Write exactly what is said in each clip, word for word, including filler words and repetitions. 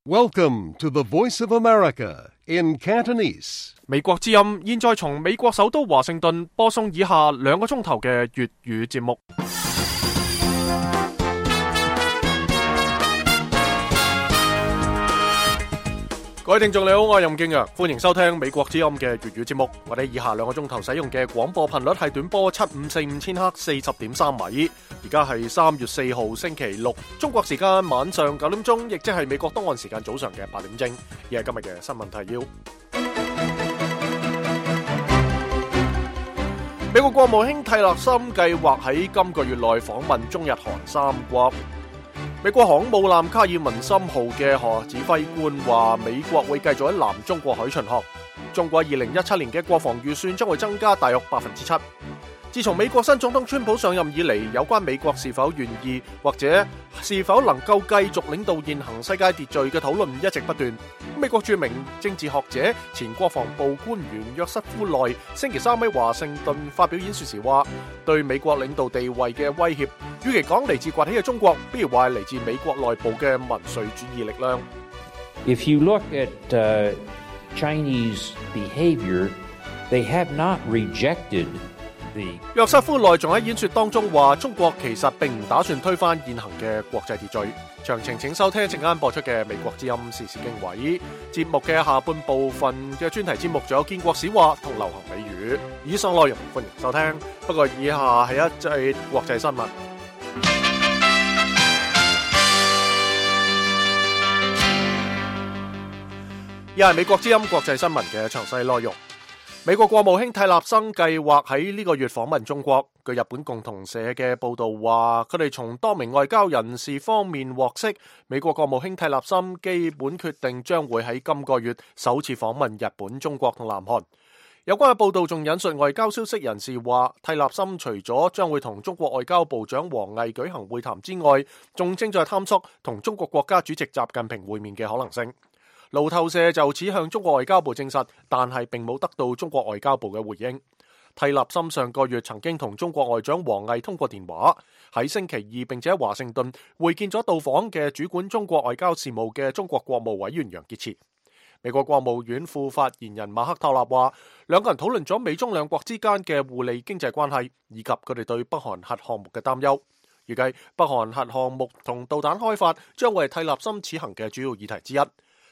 Welcome to the Voice of America in Cantonese. 美國之音現在從美國首都華盛頓播送以下兩個鐘頭嘅粵語節目。各位聽眾你好，我係任敬陽，歡迎收聽美國之音嘅粵語節目。我哋以下兩個鐘頭使用嘅廣播頻率係短波七五四五千赫四十點三米。而家係三月四號星期六，中國時間晚上九點鐘，亦即係美國東岸時間早上嘅八點正。而係今日嘅新聞提要。美國國務卿蒂勒森計劃喺今個月內訪問中日韓三國。美國航母艦卡爾文森號嘅何指揮官話，美國會繼續喺南中國海巡航。中國二零一七年嘅國防預算將會增加大約百分之七。自從美國新總統川普上任以嚟，有關美國是否願意或者是否能夠繼續領導現行世界秩序嘅討論一直不斷。美國著名政治學者、前國防部官員約瑟夫內星期三喺華盛頓發表演說時話，對美國領導地位嘅威脅，與其講嚟自崛起嘅中國，不如話係嚟自美國內部嘅民粹主義力量。If you look at uh, Chinese behavior, they have not rejected the... 約瑟夫內仲喺演說當中話，中國其實並唔打算推翻現行嘅國際秩序。詳情請收聽一陣間播出嘅美國之音時事經緯節目嘅下半部分嘅專題節目，仲有建國史話同流行美語。以上內容歡迎收聽，不過以下係一節國際新聞。以下係美國之音國際新聞嘅詳細內容。美國國務卿蒂勒森計劃喺呢個月訪問中國。據日本共同社嘅報道話，佢哋從多名外交人士方面獲悉，美國國務卿蒂勒森基本決定將會喺今個月首次訪問日本、中國同南韓。有關嘅報道仲引述外交消息人士話，蒂勒森除咗將會同中國外交部長王毅舉行會談之外，仲正在探索同中國國家主席習近平會面嘅可能性。路透社就此向中國外交部證實，但係並冇得到中國外交部嘅回應。蒂勒森上個月曾經同中國外長王毅通過電話，喺星期二並且喺華盛頓會見咗到訪嘅主管中國外交事務嘅中國國務委員楊潔篪。美國國務院副發言人馬克托納話，兩個人討論咗美中兩國之間嘅互利經濟關係，以及佢哋對北韓核項目嘅擔憂。預計北韓核項目同導彈開發將會係蒂勒森此行嘅主要議題之一。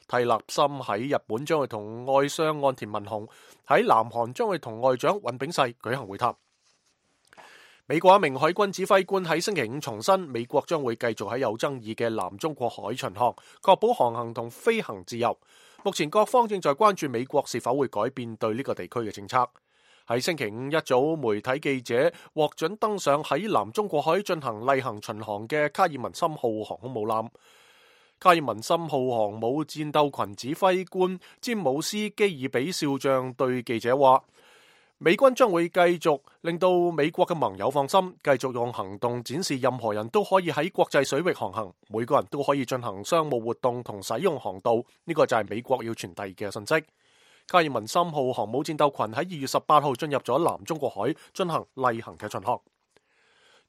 蒂勒森喺日本將會同外相岸田文雄，喺南韓將會同外長尹炳世舉行會談。美國一名海軍指揮官喺星期五重申，美國將會繼續喺有爭議嘅南中國海巡航，確保航行同飛行自由。目前各方正在關注美國是否會改變對呢個地區嘅政策。喺星期五一早，媒體記者獲准登上喺南中國海進行例行巡航嘅卡爾文森號航空母艦。卡爾文森號航母戰鬥群指揮官詹姆斯基爾比少將對記者話，美軍將會繼續令到美國嘅盟友放心，繼續用行動展示任何人都可以喺國際水域航行，每個人都可以進行商務活動同使用航道，呢個就係美國要傳遞嘅信息。卡爾文森號航母戰鬥群喺二月十八號進入咗南中國海進行例行嘅巡航。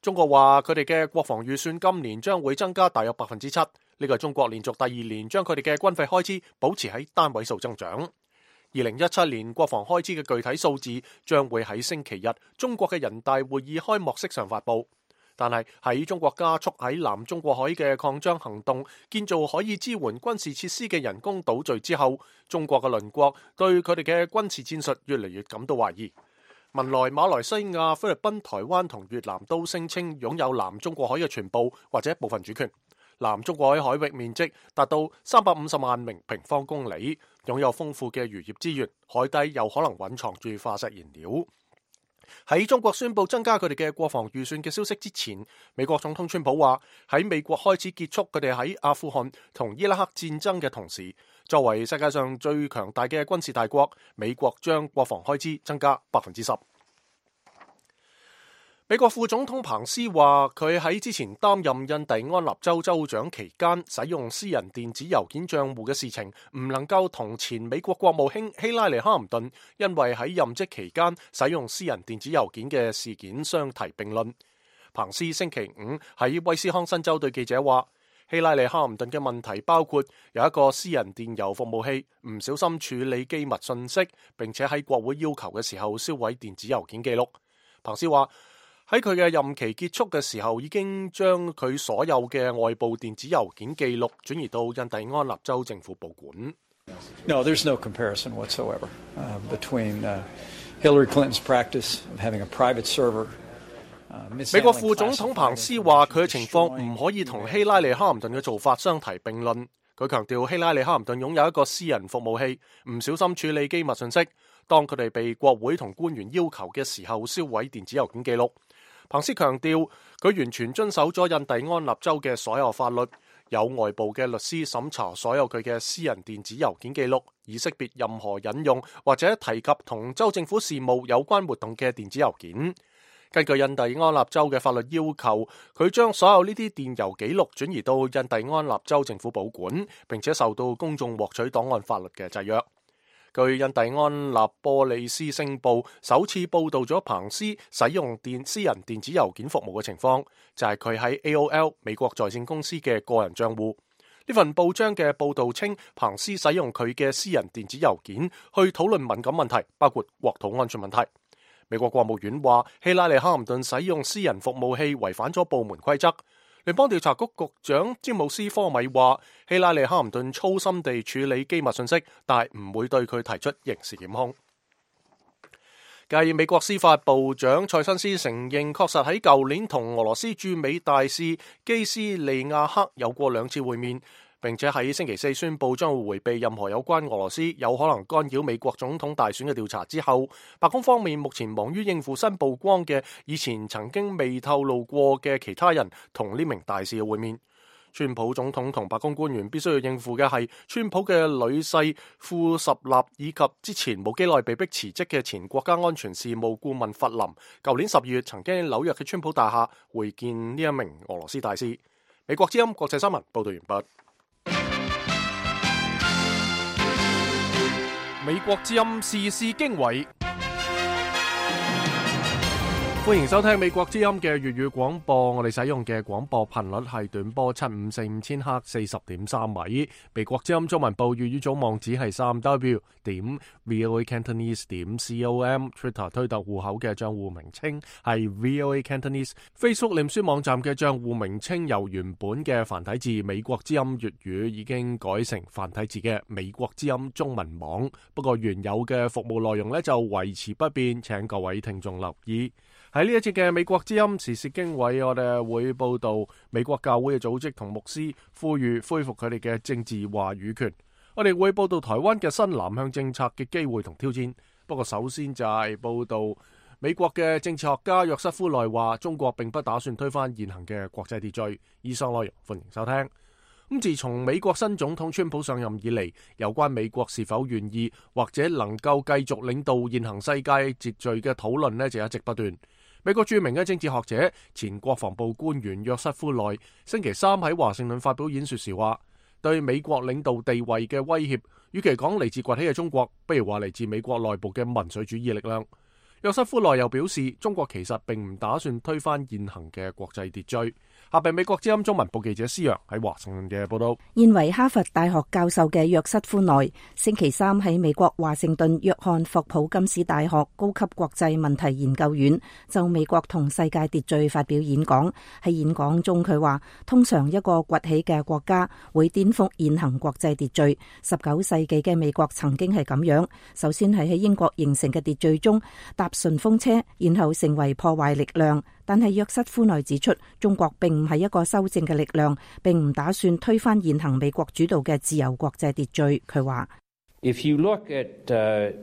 中國話佢哋嘅國防預算今年將會增加大約百分之七。呢個係中國連續第二年將佢哋嘅軍費開支保持喺單位數增長。二零一七年國防開支嘅具體數字將會喺星期日中國嘅人大會議開幕式上發佈。但係喺中國加速喺南中國海嘅擴張行動，建造可以支援軍事設施嘅人工島嶼之後，中國嘅鄰國對佢哋嘅軍事戰術越嚟越感到懷疑。文萊、馬來西亞、菲律賓、台灣同越南都聲稱擁有南中國海嘅全部或者部分主權。南中國海海域面積達到三百五十萬名平方公里，擁有豐富嘅漁業資源，海底有可能蘊藏住化石燃料。喺中國宣布增加佢哋嘅國防預算嘅消息之前，美國總統川普話喺美國開始結束佢哋喺阿富汗同伊拉克戰爭嘅同時，作為世界上最強大嘅軍事大國，美國將國防開支增加百分之十。美國副總統彭斯話，佢喺之前擔任印第安納州州長期間，使用私人電子郵件賬戶嘅事情，唔能夠同前美國國務卿希拉里哈林頓因為喺任職期間使用私人電子郵件嘅事件相提並論。彭斯星期五喺威斯康辛州對記者話，希拉里·哈林頓嘅問題包括有一個私人電郵服務器唔小心處理機密信息，並且喺國會要求嘅時候銷毀電子郵件記錄。彭斯話喺佢嘅任期結束嘅時候，已經將佢所有嘅外部電子郵件記錄轉移到印第安納州政府保管。No, there's no comparison whatsoever uh, between uh, Hillary Clinton's practice of having a private server.美國副總統彭斯話佢嘅情況唔可以同希拉里·哈林頓嘅做法相提並論。佢強調希拉里·哈林頓擁有一個私人服務器，唔小心處理機密信息，當佢哋被國會同官員要求嘅時候銷毀電子郵件記錄。彭斯強調佢完全遵守咗印第安納州嘅所有法律，有外部嘅律師審查所有佢嘅私人電子郵件記錄，以識別任何引用或者提及同州政府事務有關活動嘅電子郵件。根據印第安納州嘅法律要求，佢將所有呢啲電郵記錄轉移到印第安納州政府保管，並且受到公眾獲取檔案法律嘅制約。據印第安納波利斯星報首次報導咗彭斯使用電私人電子郵件服務嘅情況，就係佢喺 A O L 美國在線公司嘅個人帳戶。呢份報章嘅報導稱，彭斯使用佢嘅私人電子郵件去討論敏感問題，包括國土安全問題。美國國務院話，希拉里·哈林頓使用私人服務器違反咗部門規則。聯邦調查局局長詹姆斯·科米話，希拉里·哈林頓粗心地處理機密信息，但係唔會對佢提出刑事檢控。繼美國司法部長塞申斯承認，確實喺舊年同俄羅斯駐美大使基斯利亞克有過兩次會面，並且喺星期四宣布將會迴避任何有關俄羅斯有可能干擾美國總統大選嘅調查之後，白宮方面目前忙於應付新曝光嘅以前曾經未透露過嘅其他人同呢名大使嘅會面。川普總統同白宮官員必須要應付嘅係川普嘅女婿庫什納以及之前冇幾耐被迫辭職嘅前國家安全事務顧問弗林。舊年十二月曾經喺紐約嘅川普大廈會見呢一名俄羅斯大使。美國之音國際新聞報道完畢。美國之音時事經緯，歡迎收聽美國之音嘅粵語廣播。我哋使用嘅廣播頻率係短波七五四五千赫四十點三米。美國之音中文部粵語組網址係三 w 點 voa cantonese 點 com。Twitter 推特戶口嘅賬戶名稱係 voa cantonese。Facebook 臉書網站嘅賬戶名稱由原本嘅繁體字美國之音粵語已經改成繁體字嘅美國之音中文網。不過原有嘅服務內容呢就維持不變，請各位聽眾留意。喺呢一節嘅美國之音時事經緯，我哋會報道美國教會嘅組織同牧師呼籲恢復佢哋嘅政治話語權。我哋會報道台灣嘅新南向政策嘅機會同挑戰。不過首先就係報道美國嘅政治學家約瑟夫內話，中國並不打算推翻現行嘅國際秩序。以上內容歡迎收聽。咁自從美國新總統川普上任以嚟，有關美國是否願意或者能夠繼續領導現行世界秩序嘅討論呢，就一直不斷。美國著名嘅政治學者、前國防部官員約瑟夫內星期三喺華盛頓發表演說時話，對美國領導地位嘅威脅，與其講嚟自崛起嘅中國，不如話嚟自美國內部嘅民粹主義力量。約瑟夫內又表示，中國其實並唔打算推翻現行嘅國際秩序。下邊美國之音中文部記者施洋喺華盛頓嘅報道。現為哈佛大學教授嘅約瑟夫內星期三喺美國華盛頓約翰霍普金斯大學高級國際問題研究院就美國同世界秩序發表演講。喺演講中佢話，通常一個崛起嘅國家會顛覆現行國際秩序。十九世紀嘅美國曾經係咁樣，首先係喺英國形成嘅秩序中搭順風車，然後成為破壞力量。但係約瑟夫內指出，中國並唔係一個修正嘅力量，並唔打算推翻現行美國主導嘅自由國際秩序。佢話 If you look at, uh,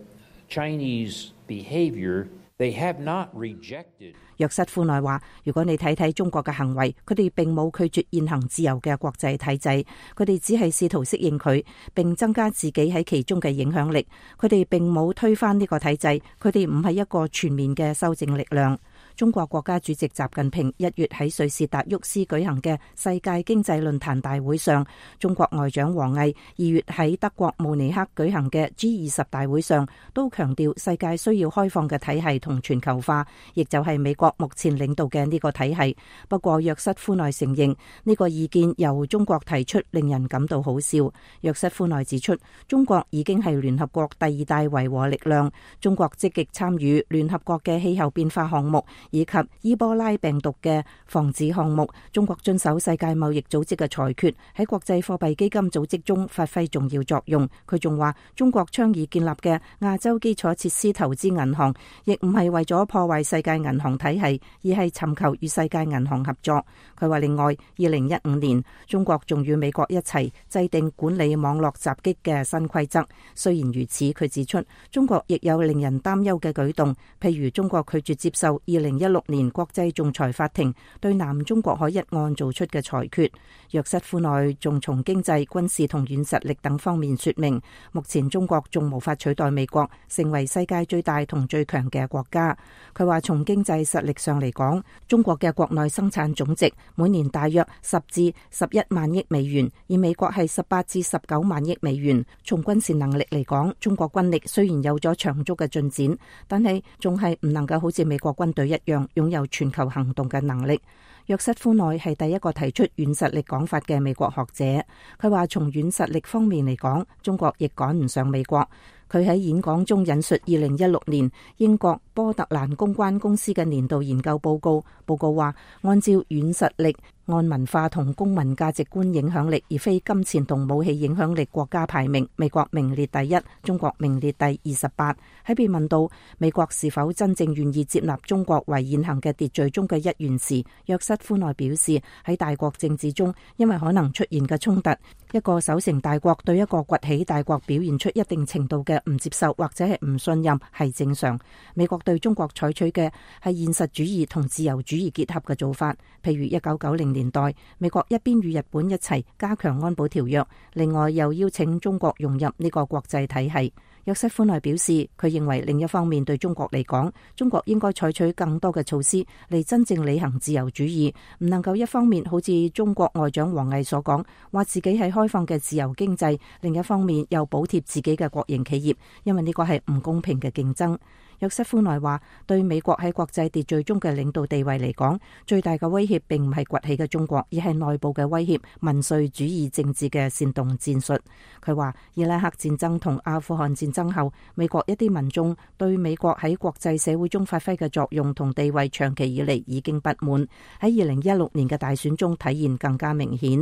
Chinese behavior, they have not rejected. 約瑟夫內話，如果你睇睇中國嘅行為，佢哋並冇拒絕現行自由嘅國際體制，佢哋只係試圖適應佢，並增加自己喺其中嘅影響力。佢哋並冇推翻呢個體制，佢哋唔係一個全面嘅修正力量。中國國家主席習近平一月喺瑞士達沃斯舉行嘅世界經濟論壇大會上，中國外長王毅二月喺德國慕尼黑舉行嘅 G 二十大會上，都強調世界需要開放嘅體系同全球化，亦就係美國目前領導嘅呢個體系。不過約瑟夫內承認呢個意見由中國提出，令人感到好笑。約瑟夫內指出，中國已經係聯合國第二大維和力量，中國積極參與聯合國嘅氣候變化項目以及伊波拉病毒嘅防治項目。中國遵守世界貿易組織嘅裁決，喺國際貨幣基金組織中發揮重要作用。佢仲話，中國倡議建立嘅亞洲基礎設施投資銀行，亦唔係為咗破壞世界銀行體系，而係尋求與世界銀行合作。佢話另外，二零一五年中國仲與美國一齊制定管理網絡襲擊嘅新規則。雖然如此，佢指出中國亦有令人擔憂嘅舉動，譬如中國拒絕接受二零一六年國際仲裁法庭對南中國海一案做出嘅裁決。約瑟夫內仲從經濟、軍事同軟實力等方面說明，目前中國仲無法取代美國成為世界最大同最強嘅國家。佢話從經濟實力上嚟講，中國嘅國內生產總值每年大約十至十一萬億美元，而美國係十八至十九萬億美元。從軍事能力嚟講，中國軍力雖然有咗長足嘅進展，但係仲係唔能夠好似美國軍隊一樣擁有全球行動嘅能力。約瑟夫內係第一個提出軟實力講法嘅美國學者。佢話從軟實力方面嚟講，中國亦趕唔上美國。佢喺演講中引述二零一六年英國波特蘭公關公司嘅年度研究報告，報告話按照軟實力、按文化同公民價值觀影響力，而非金錢同武器影響力國家排名，美國名列第一，中國名列第二十八。喺被問到美國是否真正願意接納中國為現行嘅秩序中嘅一員時，約瑟夫內表示，喺大國政治中，因為可能出現嘅衝突，一個守成大國對一個崛起大國表現出一定程度嘅唔接受或者係唔信任係正常。美國對中國採取嘅係現實主義同自由主義結合嘅做法，譬如一九九零年代，美國一邊與日本一齊加強安保條約，另外又邀請中國融入呢個國際體系。約瑟夫內表示，佢認為另一方面對中國嚟講，中國應該採取更多嘅措施嚟真正履行自由主義，唔能夠一方面好似中國外長王毅所講，話自己係開放嘅自由經濟，另一方面又補貼自己嘅國營企業，因為呢個係唔公平嘅競爭。約瑟夫內話，對美國喺國際秩序中嘅領導地位嚟講，最大嘅威脅並唔係崛起嘅中國，而係內部嘅威脅，民粹主義政治嘅煽動戰術。佢話，伊拉克戰爭同阿富汗戰爭後，美國一啲民眾對美國喺國際社會中發揮嘅作用同地位長期以嚟已經不滿，喺二零一六年嘅大選中體現更加明顯。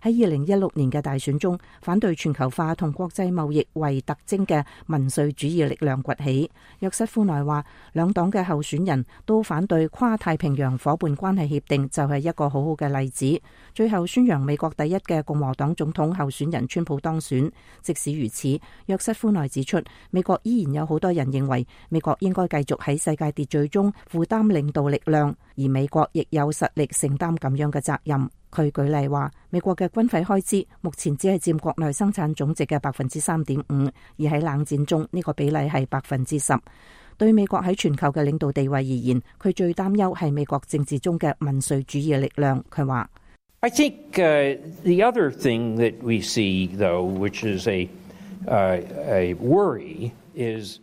喺二零一六年嘅大選中，反對全球化同國際貿易為特徵嘅民粹主義力量崛起。約瑟夫內話，兩黨嘅候選人都反對跨太平洋夥伴關係協定，就係一個好好嘅例子。最後宣揚美國第一嘅共和黨總統候選人川普當選。即使如此，約瑟夫內指出，美國依然有好多人認為美國應該繼續喺世界秩序中負擔領導力量，而美國亦有實力承擔咁樣嘅責任。佢舉例話，美國嘅軍費開支目前只係佔國內生產總值嘅百分之三點五，而喺冷戰中呢個比例係百分之十。對美國喺全球嘅領導地位而言，佢最擔憂係美國政治中嘅民粹主義力量。佢話I think uh, the other thing that we see, though, which is a, uh, a worry, is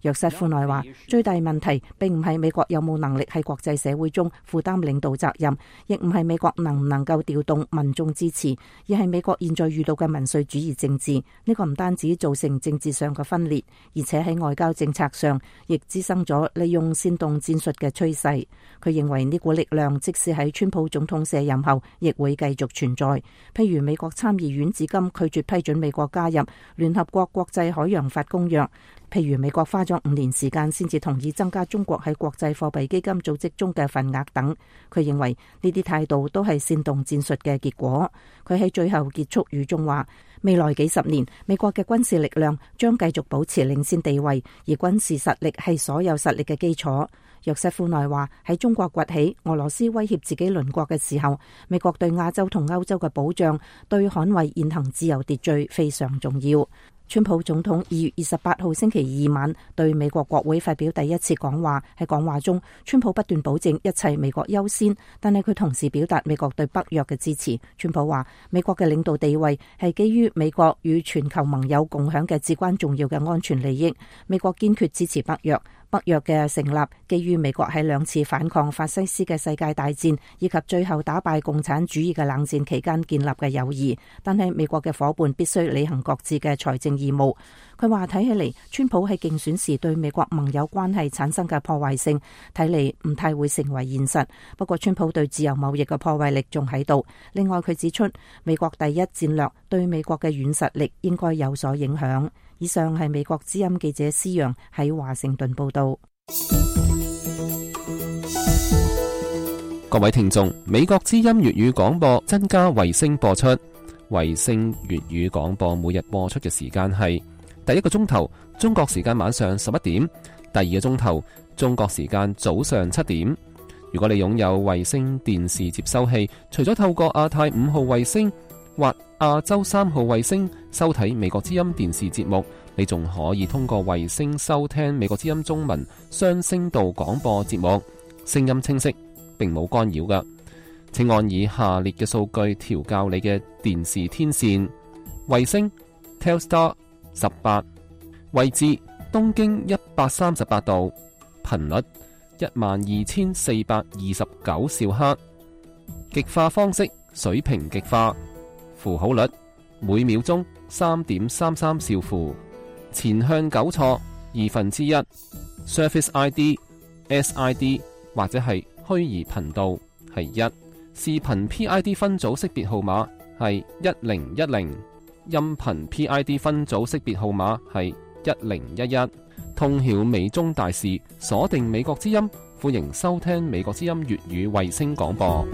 約瑟夫內話，最大問題並唔係美國有冇能力喺國際社會中負擔領導責任，亦唔係美國能唔能夠調動民眾支持，而係美國現在遇到嘅民粹主義政治。呢個唔單止造成政治上嘅分裂，而且喺外交政策上亦滋生咗利用煽動戰術嘅趨勢。佢認為呢股力量即使喺川普總統卸任後，亦會繼續存在。譬如美國參議院至今拒絕批准美國加入聯合國國際海洋法公約。譬如美國花咗五年時間先至同意增加中國喺國際貨幣基金組織中嘅份額等，佢認為呢啲態度都係煽動戰術嘅結果。佢喺最後結束語中話，未來幾十年美國嘅軍事力量將繼續保持領先地位，而軍事實力係所有實力嘅基礎。約瑟夫內話，喺中國崛起、俄羅斯威脅自己鄰國嘅時候，美國對亞洲同歐洲嘅保障，對捍衛現行自由秩序非常重要。川普總統二月二十八號星期二晚對美國國會發表第一次講話，喺講話中，川普不斷保證一切美國優先，但係佢同時表達美國對北約嘅支持。川普話，美國嘅領導地位係基於美國與全球盟友共享嘅至關重要嘅安全利益，美國堅決支持北約。北約嘅成立基於美國喺兩次反抗法西斯嘅世界大戰以及最後打敗共產主義嘅冷戰期間建立嘅友誼，但係美國嘅伙伴必須履行各自嘅財政義務。佢話睇起嚟，川普喺競選時對美國盟友關係產生嘅破壞性，睇嚟唔太會成為現實。不過川普對自由貿易嘅破壞力仲喺度。另外佢指出，美國第一戰略對美國嘅軟實力應該有所影響。以上係美國之音記者施陽喺華盛頓報道。各位聽眾，美國之音粵語廣播增加衛星播出。衛星粵語廣播每日播出嘅時間係第一個鐘頭中國時間晚上十一點，第二個鐘頭中國時間早上七點。如果你擁有衛星電視接收器，除咗透過亞太五號衛星或亞洲三號衛星收睇美國之音電視節目，你仲可以通過衛星收聽美國之音中文雙聲道廣播節目，聲音清晰，並冇干擾㗎。請按以下列嘅數據調校你嘅電視天線：衛星 Telstar 十八，位置東經一百三十八度，頻率一萬二千四百二十九兆赫，極化方式水平極化，符號率每秒鐘三點三三兆符，前向糾錯二分之一 ，Surface I D、S I D 或者係虛擬頻道係一，視頻 P I D 分組識別號碼係一零一零，音頻 P I D 分組識別號碼係一零一一。通曉美中大事，鎖定美國之音，歡迎收聽美國之音粵語衛星廣播。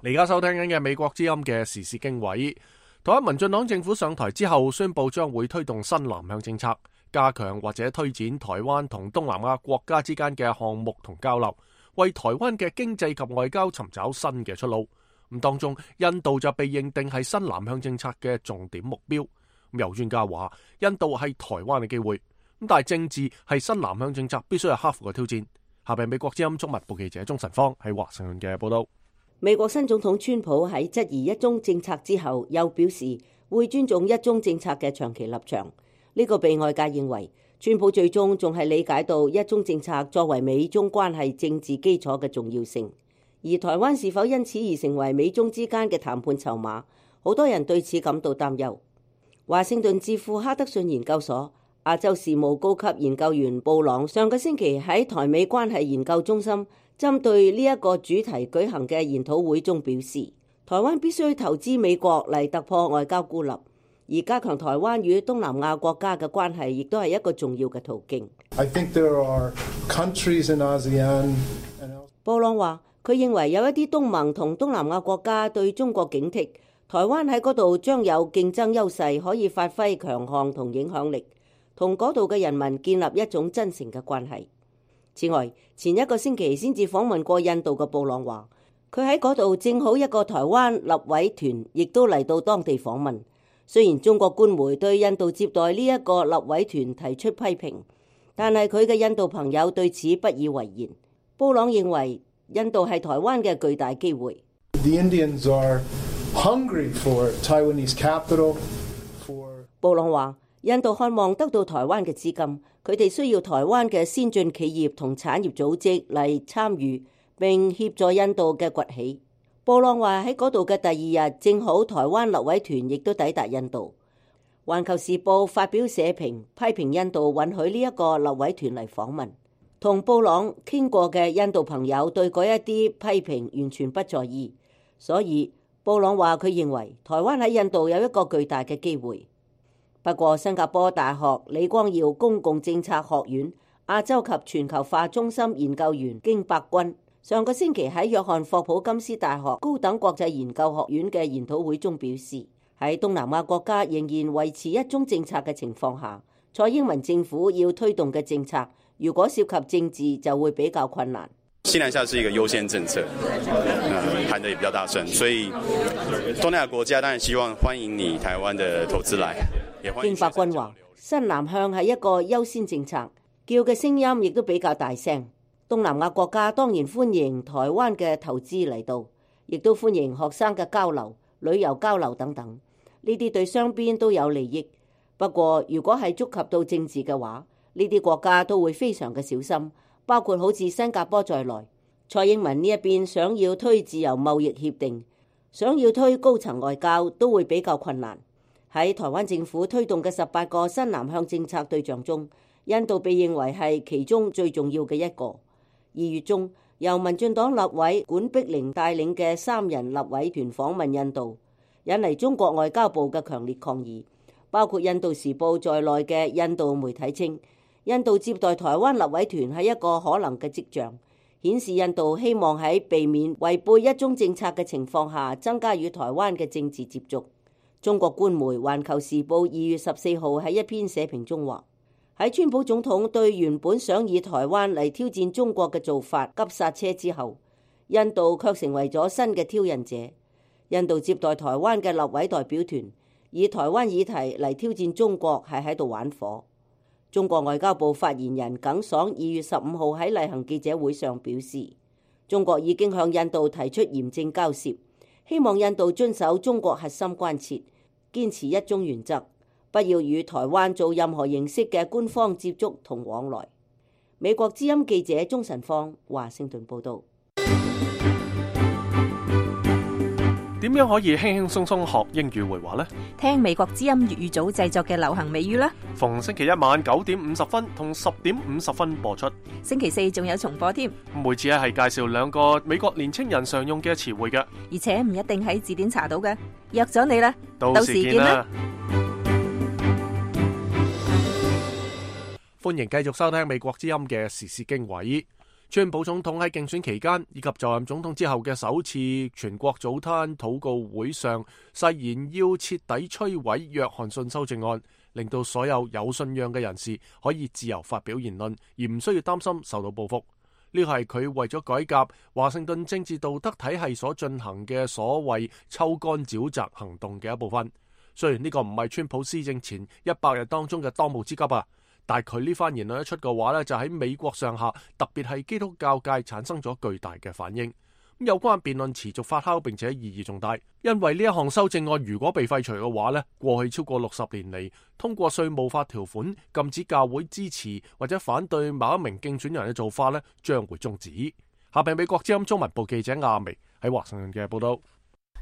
你而家收聽緊嘅美國之音嘅時事經緯。台灣民進黨政府上台之後，宣布將會推動新南向政策，加強或者推展台灣同東南亞國家之間嘅項目同交流，為台灣嘅經濟及外交尋找新嘅出路。咁當中，印度就被認定係新南向政策嘅重點目標。咁有專家話，印度係台灣嘅機會。咁但係政治係新南向政策必須係克服嘅挑戰。下邊美國之音中文部記者鍾晨芳喺華盛頓嘅報道。美國新總統川普喺質疑一中政策之後，又表示會尊重一中政策嘅長期立場。呢個被外界認為，川普最終仲係理解到一中政策作為美中關係政治基礎嘅重要性。而台灣是否因此而成為美中之間嘅談判籌碼，好多人對此感到擔憂。華盛頓智庫哈德遜研究所亞洲事務高級研究員布朗上個星期喺台美關係研究中心針對呢一個主題舉行嘅研討會中表示，台灣必須投資美國嚟突破外交孤立，而加強台灣與東南亞國家嘅關係亦都係一個重要嘅途徑。I think there are countries in ASEAN and... 布朗話，佢認為有一啲東盟同東南亞國家對中國警惕，台灣喺嗰度將有競爭優勢，可以發揮強項同影響力，同嗰度嘅人民建立一種真誠嘅關係。此外，前一個星期先至訪問過印度嘅布朗話，佢喺嗰度正好一個台灣立委團亦都嚟到當地訪問。雖然中國官媒對印度接待呢一個立委團提出批評，但係佢嘅印度朋友對此不以為然。布朗認為印度係台灣嘅巨大機會。The Indians are hungry for Taiwanese capital for... 布朗話，印度渴望得到台灣嘅資金，佢哋需要台灣嘅先進企業同產業組織嚟參與並協助印度嘅崛起。布朗話喺嗰度嘅第二日，正好台灣立委團亦都抵達印度。環球時報發表社評批評印度允許呢一個立委團嚟訪問。同布朗傾過嘅印度朋友對嗰一啲批評完全不在意，所以布朗話佢認為台灣喺印度有一個巨大嘅機會。不過新加坡大學李光耀公共政策學院亞洲及全球化中心研究員經百君上個星期喺約翰霍普金斯大學高等國際研究學院嘅研討會中表示，喺東南亞國家仍然維持一中政策嘅情況下，蔡英文政府要推動嘅政策如果涉及政治就會比較困難。西南下是一個優先政策，呃、喊得也比較大聲，所以東南亞國家當然希望歡迎你台灣的投資來。經百鈞話，新南向係一個優先政策，叫嘅聲音亦都比較大聲。東南亞國家當然歡迎台灣嘅投資嚟到，亦都歡迎學生嘅交流、旅遊交流等等，呢啲對雙邊都有利益。不過如果係觸及到政治嘅話，呢啲國家都會非常嘅小心，包括好似新加坡在內。蔡英文呢一邊想要推自由貿易協定，想要推高層外交都會比較困難。喺台灣政府推動嘅十八個新南向政策對象中，印度被認為係其中最重要嘅一個。二月中，由民進黨立委管碧玲帶領嘅三人立委團訪問印度，引嚟中國外交部嘅強烈抗議。包括印度時報在內嘅印度媒體稱，印度接待台灣立委團係一個可能嘅跡象，顯示印度希望喺避免違背一中政策嘅情況下，增加與台灣嘅政治接觸。中國官媒《環球時報》二月十四號喺一篇社評中話，喺川普總統對原本想以台灣嚟挑戰中國嘅做法急剎車之後，印度卻成為咗新嘅挑釁者。印度接待台灣嘅立委代表團，以台灣議題嚟挑戰中國，係喺度玩火。中國外交部發言人耿爽二月十五號喺例行記者會上表示，中國已經向印度提出嚴正交涉，希望印度遵守中國核心關切，堅持一中原則，不要與台灣做任何形式嘅官方接觸同往來。美國之音記者鍾晨芳華盛頓報道。點樣可以輕輕鬆鬆學英語會話呢？聽美國之音粵語組製作嘅流行美語啦。逢星期一晚九點五十分同十點五十分播出。星期四仲有重播添。每次咧係介紹兩個美國年青人常用嘅詞彙嘅，而且唔一定喺字典查到嘅。約咗你啦，到時見啦。歡迎繼續收聽美國之音嘅時事經緯。川普總統喺競選期間以及就任總統之後嘅首次全國早餐禱告會上，誓言要徹底摧毀約翰遜修正案，令到所有有信仰嘅人士可以自由發表言論，而唔需要擔心受到報復。呢個係佢為咗改革華盛頓政治道德體系所進行嘅所謂抽乾沼澤行動嘅一部分。雖然呢個唔係川普施政前一百日當中嘅當務之急啊，但係佢呢番言論一出嘅話呢，就喺美國上下，特別係基督教界產生咗巨大嘅反應。咁有關辯論持續發酵，並且意義重大，因為呢一項修正案如果被廢除嘅話呢，過去超過六十年嚟通過稅務法條款禁止教會支持或者反對某一名競選人嘅做法呢，將會終止。下邊美國之音中文部記者亞薇喺華盛頓嘅報道。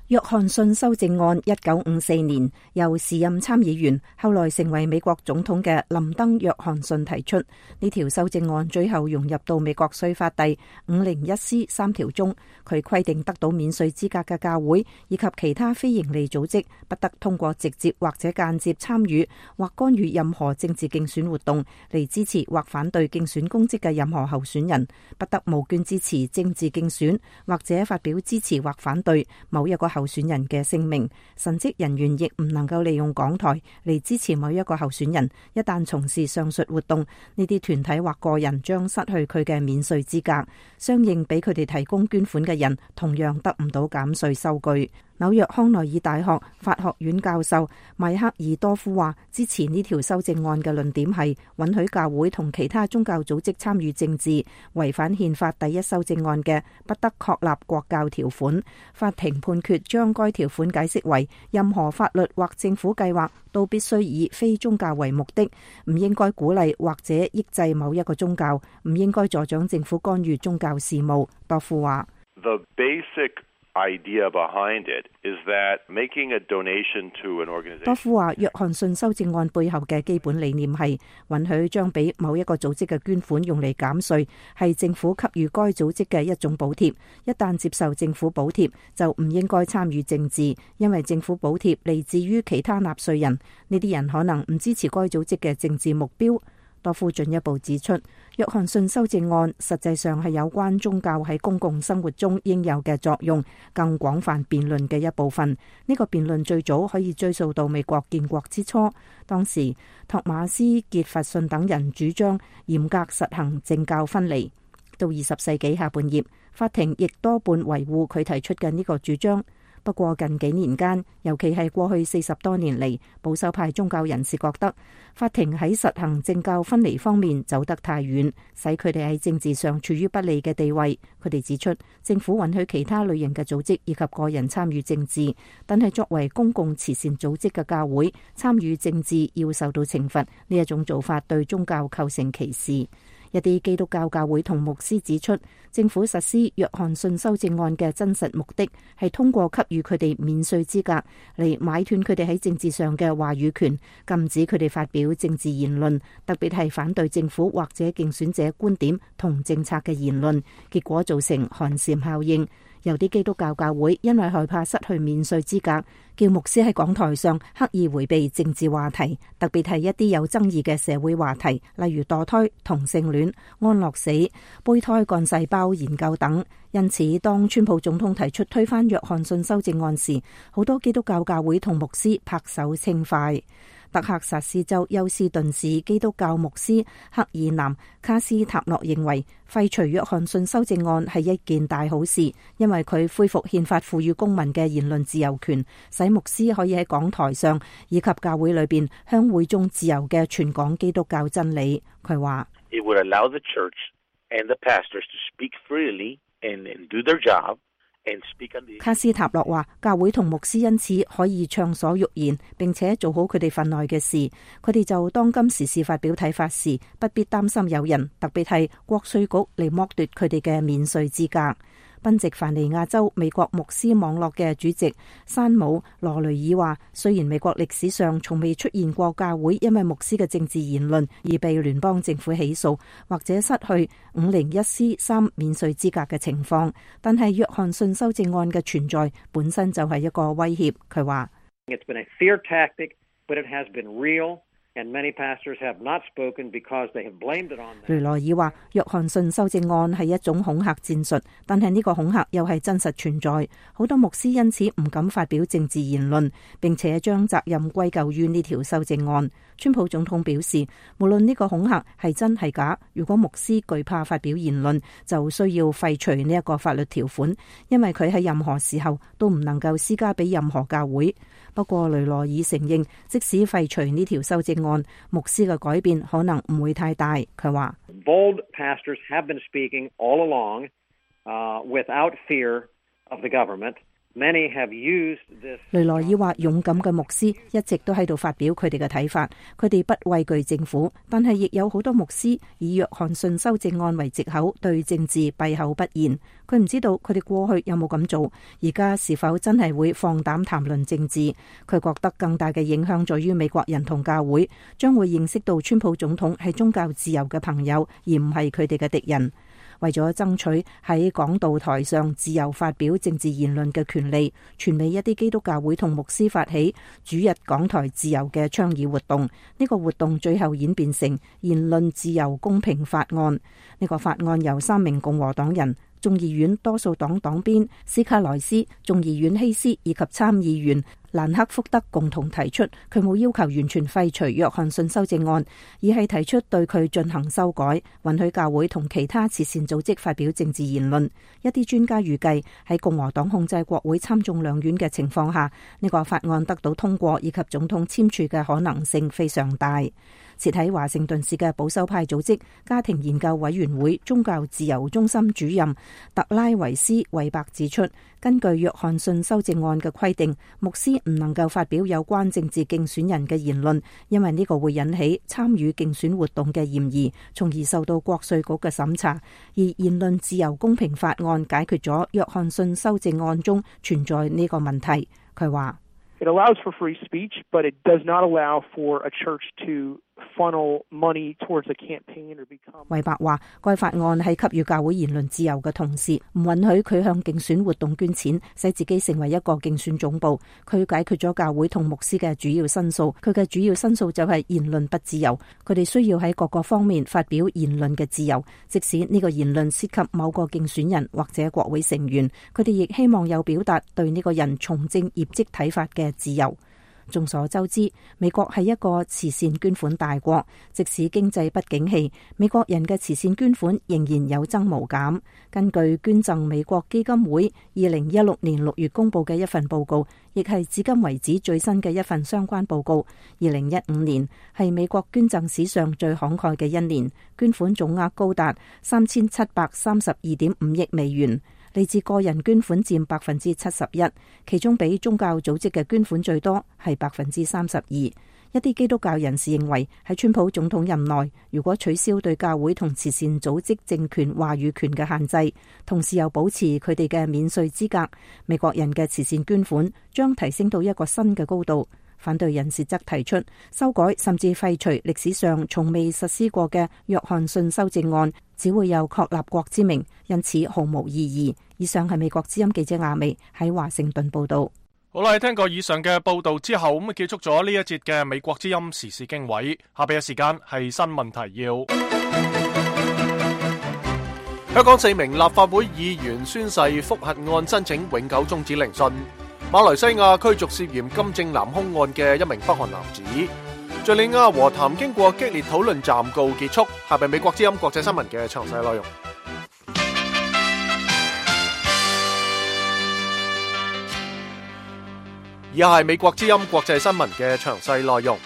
約翰遜修正案一九五四年由時任參議員後來成為美國總統嘅林登約翰遜提出，呢條修正案最後融入到美國稅法第五零一 C 三條中。佢規定得到免稅資格嘅教會以及其他非營利組織不得通過直接或者間接參與或干預任何政治競選活動嚟支持或反對競選公職嘅任何候選人，不得募捐支持政治競選或者發表支持或反對某一個候選人嘅聲明。神職人員亦唔能夠利用港台嚟支持某一個候選人。一旦從事上述活動，呢啲團體或個人將失去佢嘅免稅資格。相應俾佢哋提供捐款嘅人同樣得唔到減稅收據。紐約康奈爾大學法學院教授邁克爾多夫話，支持呢條修正案嘅論點係允許教會同其他宗教組織參與政治，違反憲法第一修正案嘅不得確立國教條款。法庭判決將該條款解釋為任何法律或政府計劃都必須以非宗教為目的，唔應該鼓勵或者抑制某一個宗教，唔應該助長政府干預宗教事務。多夫話：The basic idea behind it is that making a donation to an organization。多夫話，約翰遜修正案背後嘅基本理念係允許將俾某一個組織嘅捐款用嚟減稅，係政府給予該組織嘅一種補貼。一旦接受政府補貼，就唔應該參與政治，因為政府補貼嚟自於其他納稅人，呢啲人可能唔支持該組織嘅政治目標。多夫進一步指出，約翰遜修正案實際上係有關宗教喺公共生活中應有嘅作用更廣泛辯論嘅一部分。呢個辯論最早可以追溯到美國建國之初，當時托馬斯傑弗遜等人主張嚴格實行政教分離。到二十世紀下半葉，法庭亦多半維護佢提出嘅呢個主張。不過近幾年間，尤其係過去四十多年嚟，保守派宗教人士覺得法庭喺實行政教分離方面走得太遠，使佢哋喺政治上處於不利嘅地位。佢哋指出，政府允許其他類型嘅組織以及個人參與政治，但係作為公共慈善組織嘅教會參與政治要受到懲罰，呢一種做法對宗教構成歧視。一啲基督教教會同牧師指出，政府實施約翰遜修正案嘅真實目的係通過給予佢哋免稅資格嚟買斷佢哋喺政治上嘅話語權，禁止佢哋發表政治言論，特別係反對政府或者競選者觀點同政策嘅言論，結果造成寒蟬效應。有啲基督教教會因為害怕失去免稅資格，叫牧師喺講台上刻意迴避政治話題，特別係一啲有爭議嘅社會話題，例如墮胎、同性戀、安樂死、胚胎幹細胞研究等。因此，當川普總統提出推翻約翰遜修正案時，好多基督教教會同牧師拍手稱快。德克薩斯州休斯頓市基督教牧師克爾南卡斯塔諾認為，廢除約翰遜修正案係一件大好事，因為佢恢復憲法賦予公民嘅言論自由權，使牧師可以喺講台上以及教會裏邊向會眾自由嘅傳講基督教真理。佢話：It would allow the church and the pastors to speak freely and do their job. 卡斯塔諾話，教會同牧師因此可以暢所欲言，並且做好佢哋份內嘅事。佢哋就當今時事發表睇法時，不必擔心有人，特別係國稅局嚟剝奪佢哋嘅免稅資格。賓夕凡尼亞州美國牧師網絡嘅主席山姆羅雷爾話，雖然美國歷史上從未出現過教會因為牧師嘅政治言論而被聯邦政府起訴或者失去五零一 C 三免稅資格嘅情況，但係約翰遜修正案嘅存在本身就係一個威脅。佢話：It's been a fear tactic, but it has been real. And many pastors have not spoken because they have blamed it on them. 雷萊爾話：約翰遜修正案係一種恐嚇戰術，但係呢個恐嚇又係真實存在。好多牧師因此唔敢發表政治言論，並且將責任歸咎於呢條修正案。川普總統表示，無論呢個恐嚇係真係假，如果牧師懼怕發表言論，就需要廢除呢一個法律條款，因為佢喺任何時候都唔能夠施加俾任何教會。不過雷萊爾承認，即使廢除呢條修正案，牧師嘅改變可能唔會太大。佢話 Bold pastors have been speaking all along, uh, without fear of the government. Many have used this. 雷萊爾話：勇敢嘅牧師一直都喺度發表佢哋嘅睇法，佢哋不畏懼政府，但係亦有好多牧師以約翰遜修正案為藉口對政治閉口不言。佢唔知道佢哋過去有冇咁做，而家是否真係會放膽談論政治。佢覺得更大嘅影響在於美國人同教會將會認識到川普總統係宗教自由嘅朋友，而唔係佢哋嘅敵人。為咗爭取喺講道台上自由發表政治言論嘅權利，全美一啲基督教會同牧師發起主日講台自由嘅倡議活動。呢個活動最後演變成言論自由公平法案。呢個法案由三名共和黨人、眾議院多數黨黨鞭斯卡萊斯、眾議院希斯以及參議員蘭克福德共同提出。佢冇要求完全廢除約翰遜修正案，而係提出對佢進行修改，允許教會同其他慈善組織發表政治言論。一啲專家預計喺共和黨控制國會參眾兩院嘅情況下，呢個法案得到通過以及總統簽署嘅可能性非常大。設喺華盛頓市嘅保守派組織家庭研究委員會宗教自由中心主任特拉維斯韋伯指出，根據約翰遜修正案嘅規定，牧師唔能夠發表有關政治競選人嘅言論，因為呢個會引起參與競選活動嘅嫌疑，從而受到國稅局嘅審查。而言論自由公平法案解決咗約翰遜修正案中存在呢個問題。佢話：It allows for free speech, but it does not allow for a church to funnel money towards a campaign or become. 韋伯話：該法案係給予教會言論自由嘅同時，唔允許佢向競選活動捐錢，使自己成為一個競選總部。佢解決咗教會同牧師嘅主要申訴。佢嘅主要申訴就係言論不自由。佢哋需要喺各個方面發表言論嘅自由，即使呢個言論涉及某個競選人或者國會成員。佢哋亦希望有表達對呢個人從政業績睇法嘅自由。眾所周知，美國係一個慈善捐款大國，即使經濟不景氣，美國人嘅慈善捐款仍然有增無減。根據捐贈美國基金會二零一六年六月公布嘅一份報告，亦係至今為止最新嘅一份相關報告。二零一五年係美國捐贈史上最慷慨嘅一年，捐款總額高達三千七百三十二點五億美元。嚟自個人捐款佔百分之七十一，其中比宗教組織嘅捐款最多，係百分之三十二。一啲基督教人士認為，喺川普總統任內，如果取消對教會同慈善組織政權話語權嘅限制，同時又保持佢哋嘅免稅資格，美國人嘅慈善捐款將提升到一個新嘅高度。反對人士則提出修改甚至廢除歷史上從未實施過嘅約翰遜修正案，只會有確立國之名，因此毫無意義。以上係美國之音記者亞美喺華盛頓報道。好啦，聽過以上嘅報道之後，咁啊結束咗呢一節嘅美國之音時事經緯。下邊嘅時間係新聞提要。香港四名立法會議員宣誓覆核案申請永久終止聆訊。馬來西亞驅逐涉嫌金正男兇案嘅一名北韓男子。敘利亞和談經過激烈討論暫告結束。下邊美國之音國際新聞嘅詳細內容。以下係美國之音國際新聞嘅詳細內容。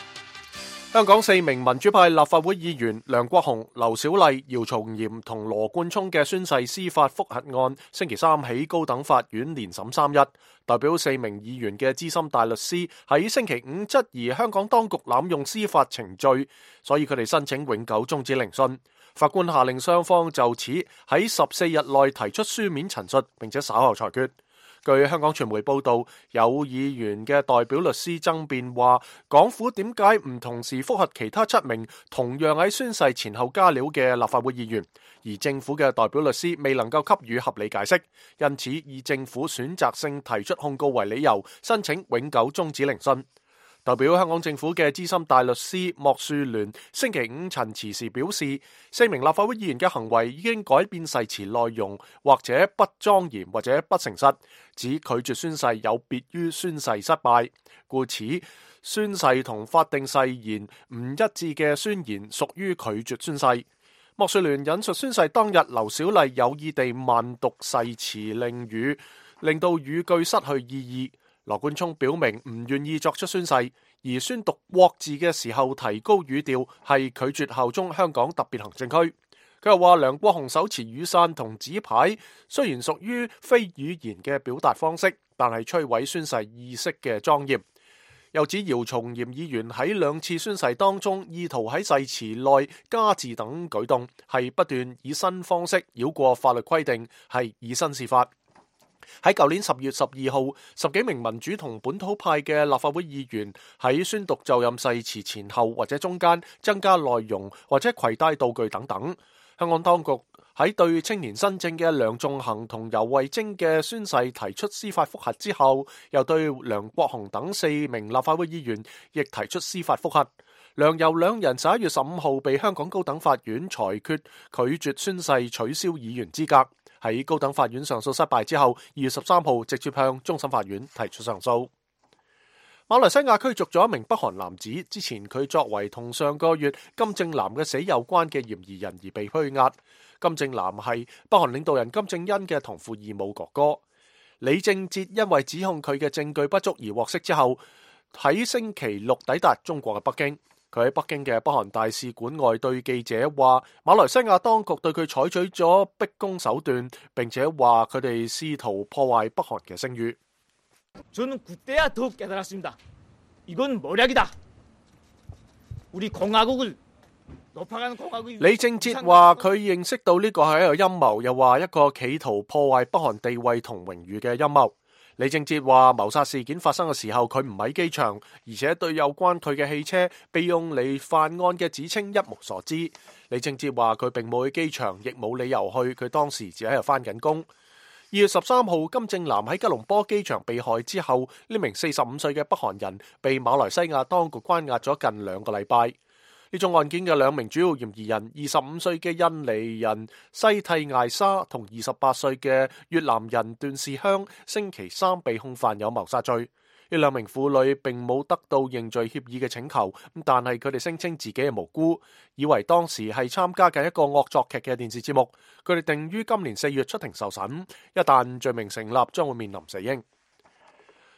香港四名民主派立法會議員梁國雄、劉小麗、姚松炎同羅冠聰嘅宣誓司法覆核案，星期三喺高等法院連審三日。代表四名議員嘅資深大律師喺星期五質疑香港當局濫用司法程序，所以佢哋申請永久終止聆訊。法官下令雙方就此喺十四日內提出書面陳述，並且稍後裁決。據香港傳媒報道，有議員嘅代表律師爭辯話，港府點解唔同時覆核其他七名同樣喺宣誓前後加料嘅立法會議員，而政府嘅代表律師未能夠給予合理解釋，因此以政府選擇性提出控告為理由，申請永久終止聆訊。代表香港政府嘅資深大律師莫樹聯星期五陳詞時表示，四名立法會議員嘅行為已經改變誓詞內容，或者不莊嚴或者不誠實，指拒絕宣誓有別於宣誓失敗，故此宣誓同法定誓言唔一致嘅宣言屬於拒絕宣誓。莫樹聯引述宣誓當日劉小麗有意地慢讀誓詞令語，令到語句失去意義。羅冠聰表明唔願意作出宣誓，而宣讀國字嘅時候提高語調係拒絕效忠香港特別行政區。佢又話梁國雄手持雨傘同紙牌，雖然屬於非語言嘅表達方式，但係摧毀宣誓意識嘅莊嚴。又指姚松炎議員喺兩次宣誓當中，意圖喺誓詞內加字等舉動，係不斷以新方式繞過法律規定，係以身試法。喺舊年十月十二號，十幾名民主同本土派嘅立法會議員喺宣讀就任誓詞前後或者中間增加內容或者攜帶道具等等。香港當局喺對青年新政嘅梁頌恆同游蕙禎嘅宣誓提出司法覆核之後，又對梁國雄等四名立法會議員亦提出司法覆核。梁游兩人十一月十五號被香港高等法院裁決拒絕宣誓取消議員資格。喺高等法院上訴失敗之後，二月十三號直接向終審法院提出上訴。馬來西亞驅逐咗一名北韓男子，之前佢作為同上個月金正男嘅死有關嘅嫌疑人而被拘押。金正男係北韓領導人金正恩嘅同父異母哥哥。李正哲因為指控佢嘅證據不足而獲釋之後，喺星期六抵達中國嘅北京。佢喺北京嘅北韓大使館外對記者話，馬來西亞當局對佢採取咗逼宮手段，並且話佢哋試圖破壞北韓嘅聲譽。저는 그때야 더욱 깨달았습니다. 이건谋略이다. 우리 공화국을 높아가는 공화국이李正哲話佢認識到呢個係一個陰謀，又話一個企圖破壞北韓地位同榮譽嘅陰謀。李正哲話謀殺事件發生嘅時候，佢唔喺機場，而且對有關佢嘅汽車被用嚟犯案嘅指稱一無所知。李正哲話佢並冇去機場，亦冇理由去，佢當時只喺度返緊工。二月十三號，金正男喺吉隆坡機場被害之後，呢名四十五歲嘅北韓人被馬來西亞當局關押咗近兩個禮拜。呢宗案件嘅兩名主要嫌疑人，二十五歲嘅印尼人西蒂艾莎同二十八歲嘅越南人段士香，星期三被控犯有謀殺罪。呢兩名婦女並冇得到認罪協議嘅請求，但係佢哋聲稱自己係無辜，以為當時係參加緊一個惡作劇嘅電視節目。佢哋定於今年四月出庭受審，一旦罪名成立，將會面臨死刑。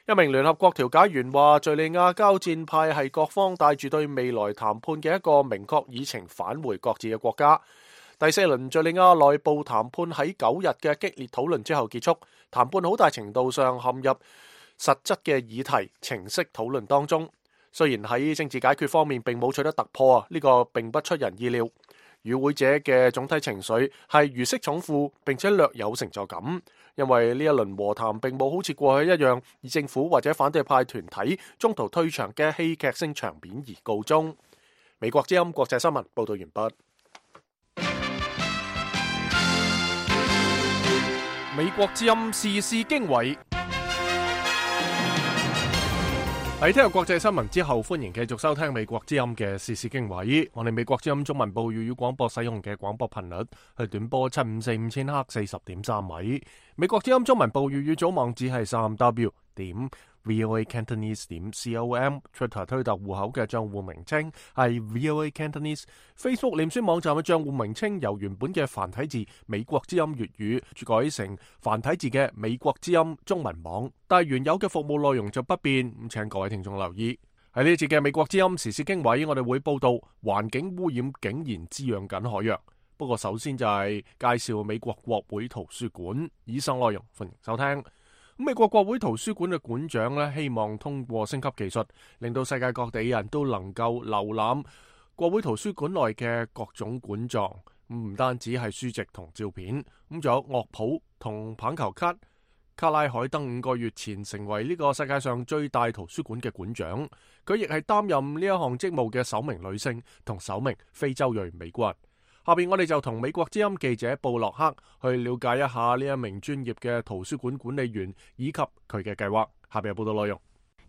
一名聯合國調解員話，敘利亞交戰派係各方帶住對未來談判嘅一個明確議程返回各自嘅國家。第四輪敘利亞內部談判喺九日嘅激烈討論之後結束，談判好大程度上陷入實質嘅議題程式討論當中。雖然喺政治解決方面並冇取得突破啊，呢個並不出人意料。與會者嘅總體情緒係如釋重負，並且略有成就感，因為呢一輪和談並冇好似過去一樣以政府或者反對派團體中途退場嘅戲劇性場面而告終。美國之音國際新聞報道完畢。美國之音時事經緯。喺聽日國際新聞之後，歡迎繼續收聽美國之音嘅時事經緯。我哋美國之音中文部粵語廣播使用嘅廣播頻率係短波七五四五千赫四十點三米。美國之音中文部粵語組網址係三 w 點 voa cantonese 點 com。Twitter 推特戶口嘅賬戶名稱係 voa cantonese。Facebook 臉書網站嘅賬戶名稱由原本嘅繁體字美國之音粵語改成繁體字嘅美國之音中文網，但係原有嘅服務內容就不變。咁請各位聽眾留意。喺呢節嘅美國之音時事經緯，我哋會報道環境污染竟然滋養緊海洋。不過首先就係介紹美國國會圖書館。以上內容歡迎收聽。美國國會圖書館嘅館長咧，希望通過升級技術，令到世界各地人都能夠瀏覽國會圖書館內嘅各種館藏，唔單止係書籍同照片，咁仲有樂譜同棒球卡。卡拉海登五個月前成為呢個世界上最大圖書館嘅館長，佢亦係擔任呢一項職務嘅首名女性同首名非洲裔美國人。下邊我哋就同美國之音記者布洛克去了解一下呢一名專業嘅圖書館管理員以及佢嘅計劃。下邊有報道內容。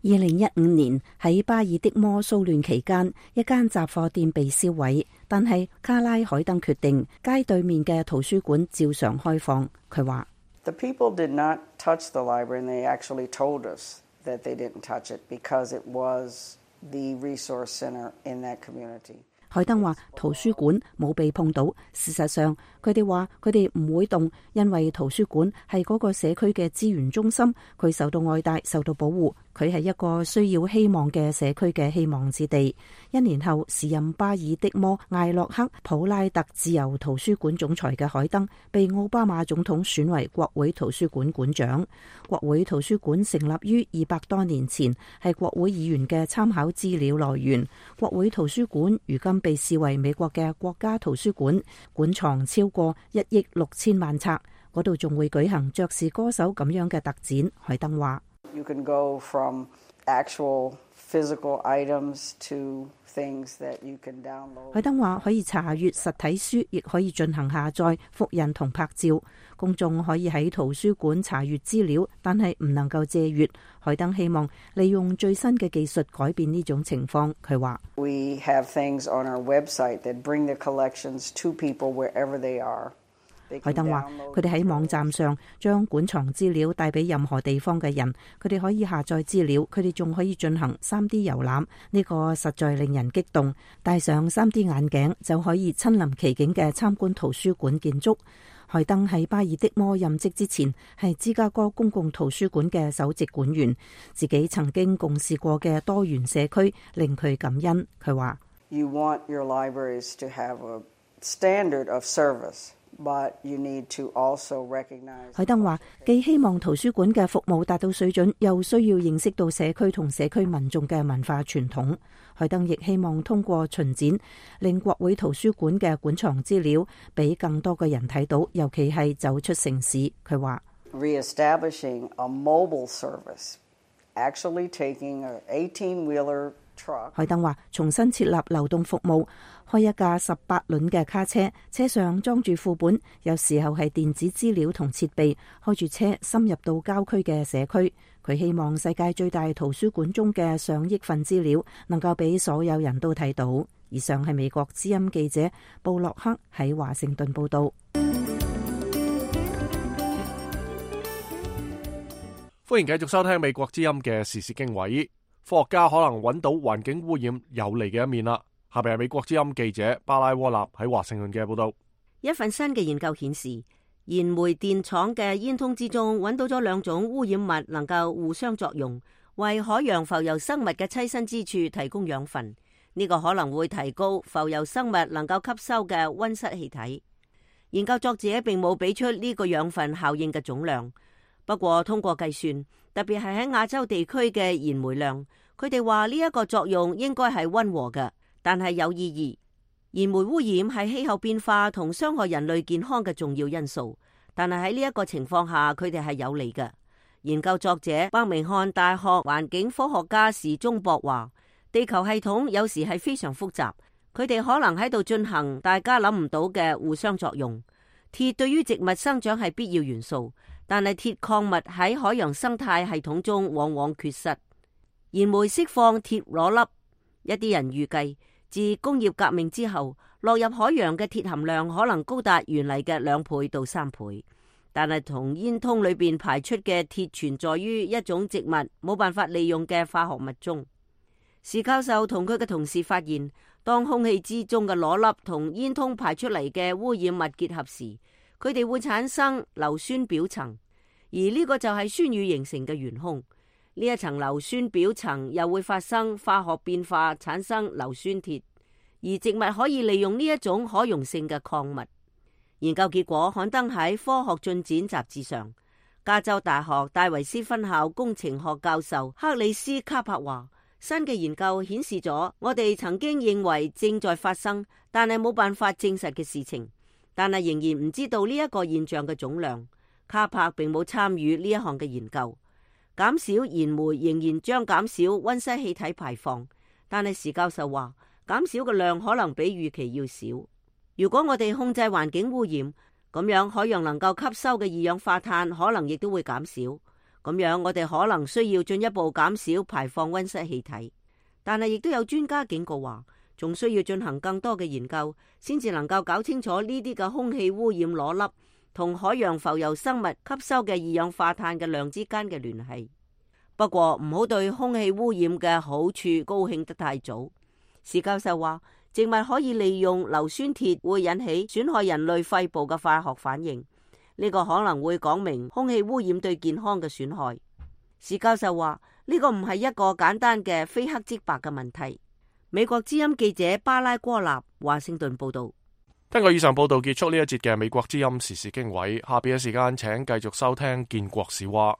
二零一五年喺巴爾的摩騷亂期間，一間雜貨店被燒毀，但係卡拉海登決定街對面嘅圖書館照常開放。佢話：The people did not touch the library, and they actually told us that they didn't touch it because it was the resource center in that community. 海登話圖書館冇被碰到，事實上佢哋話佢哋唔會動，因為圖書館係嗰個社區嘅資源中心，佢受到愛戴，受到保護，佢係一個需要希望嘅社區嘅希望之地。一年後，時任巴爾的摩艾洛克普拉特自由圖書館總裁嘅海登被奧巴馬總統選為國會圖書館館長。國會圖書館成立於二百多年前，係國會議員嘅參考資料來源。國會圖書館如今被視為美國嘅國家圖書館，館藏超過一億六千萬冊，嗰度仲會舉行爵士歌手咁樣嘅特展。海登話：You can go from actual physical items to things that you can download. 海登話可以查閱實體書，亦可以進行下載、複印同拍照。公眾可以喺圖書館查閱資料，但係唔能夠借閱。海登希望利用最新嘅技術改變呢種情況。佢話：We have things on our website that bring the collections to people wherever they are. 海登話：佢哋喺網站上將館藏資料帶俾任何地方嘅人，佢哋可以下載資料，佢哋仲可以進行 三 D 遊覽，呢個實在令人激動。戴上 三 D 眼鏡就可以親臨其境嘅參觀圖書館建築。海登喺巴爾的摩任職之前係芝加哥公共圖書館嘅首席館員，自己曾經共事過嘅多元社區令佢感恩。佢話：You want your libraries to have a standard of service. But you need to also recognize. 海登話：既希望圖書館嘅服務達到水準，又需要認識到社區同社區民眾嘅文化傳統。海登亦希望通過巡展，令國會圖書館嘅館藏資料俾更多嘅人睇到，尤其係走出城市。佢話：Reestablishing a mobile service, actually taking an eighteen-wheeler.海登話：重新設立流動服務，開一架十八輪嘅卡車，車上裝住副本，有時候係電子資料同設備，開住車深入到郊區嘅社區。佢希望世界最大圖書館中嘅上億份資料能夠俾所有人都睇到。以上係美國之音記者布洛克喺華盛頓報道。歡迎繼續收聽美國之音嘅時事經緯。科學家可能揾到環境污染有利嘅一面啦。下邊係美國之音記者巴拉沃納喺華盛頓嘅報道。一份新嘅研究顯示，燃煤電廠嘅煙囪之中揾到咗兩種污染物，能夠互相作用，為海洋浮游生物嘅棲身之處提供養分。呢個可能會提高浮游生物能夠吸收嘅溫室氣體。研究作者並冇俾出呢個養分效應嘅總量。不過通過計算，特別係喺亞洲地區嘅燃煤量，佢哋話呢一個作用應該係溫和嘅，但係有意義。燃煤污染係氣候變化同傷害人類健康嘅重要因素，但係喺呢一個情況下，佢哋係有利嘅。研究作者伯明翰大學環境科學家史忠博話，地球系統有時係非常複雜，佢哋可能喺度進行大家諗唔到嘅互相作用。鐵對於植物生長係必要元素，但係鐵礦物喺海洋生態系統中往往缺失。燃煤釋放鐵裸粒，一啲人預計自工業革命之後，落入海洋嘅鐵含量可能高達原嚟嘅兩倍到三倍。但係同煙囪裏邊排出嘅鐵存在於一種植物冇辦法利用嘅化學物中。史教授同佢嘅同事發現，當空氣之中嘅裸粒同煙囪排出嚟嘅污染物結合時，佢哋會產生硫酸表層，而呢個就係酸雨形成嘅元兇。呢一層硫酸表層又會發生化學變化，產生硫酸鐵，而植物可以利用呢一種可溶性嘅礦物。研究結果刊登喺《科學進展》雜誌上。加州大學戴維斯分校工程學教授克里斯卡柏話，新嘅研究顯示咗我哋曾經認為正在發生，但係冇辦法證實嘅事情，但係仍然唔知道呢一個現象嘅總量。卡柏並冇參與呢一項嘅研究。減少燃煤仍然將減少溫室氣體排放，但係史教授話，減少嘅量可能比預期要少。如果我哋控制環境污染，咁樣海洋能夠吸收嘅二氧化碳可能亦都會減少。咁樣我哋可能需要進一步減少排放溫室氣體。但係亦都有專家警告話，仲需要進行更多嘅研究，先至能夠搞清楚呢啲嘅空氣污染裸粒同海洋浮游生物吸收嘅二氧化碳嘅量之間嘅聯繫。不過唔好對空氣污染嘅好處高興得太早。史教授話，植物可以利用硫酸鐵會引起損害人類肺部嘅化學反應，呢個可能會講明空氣污染對健康嘅損害。史教授話，呢個唔係一個簡單嘅非黑即白嘅問題。美國之音記者巴拉戈納華盛頓報道。聽過以上報道，結束呢一節嘅美國之音時事經緯。下邊嘅時間請繼續收聽建國史話。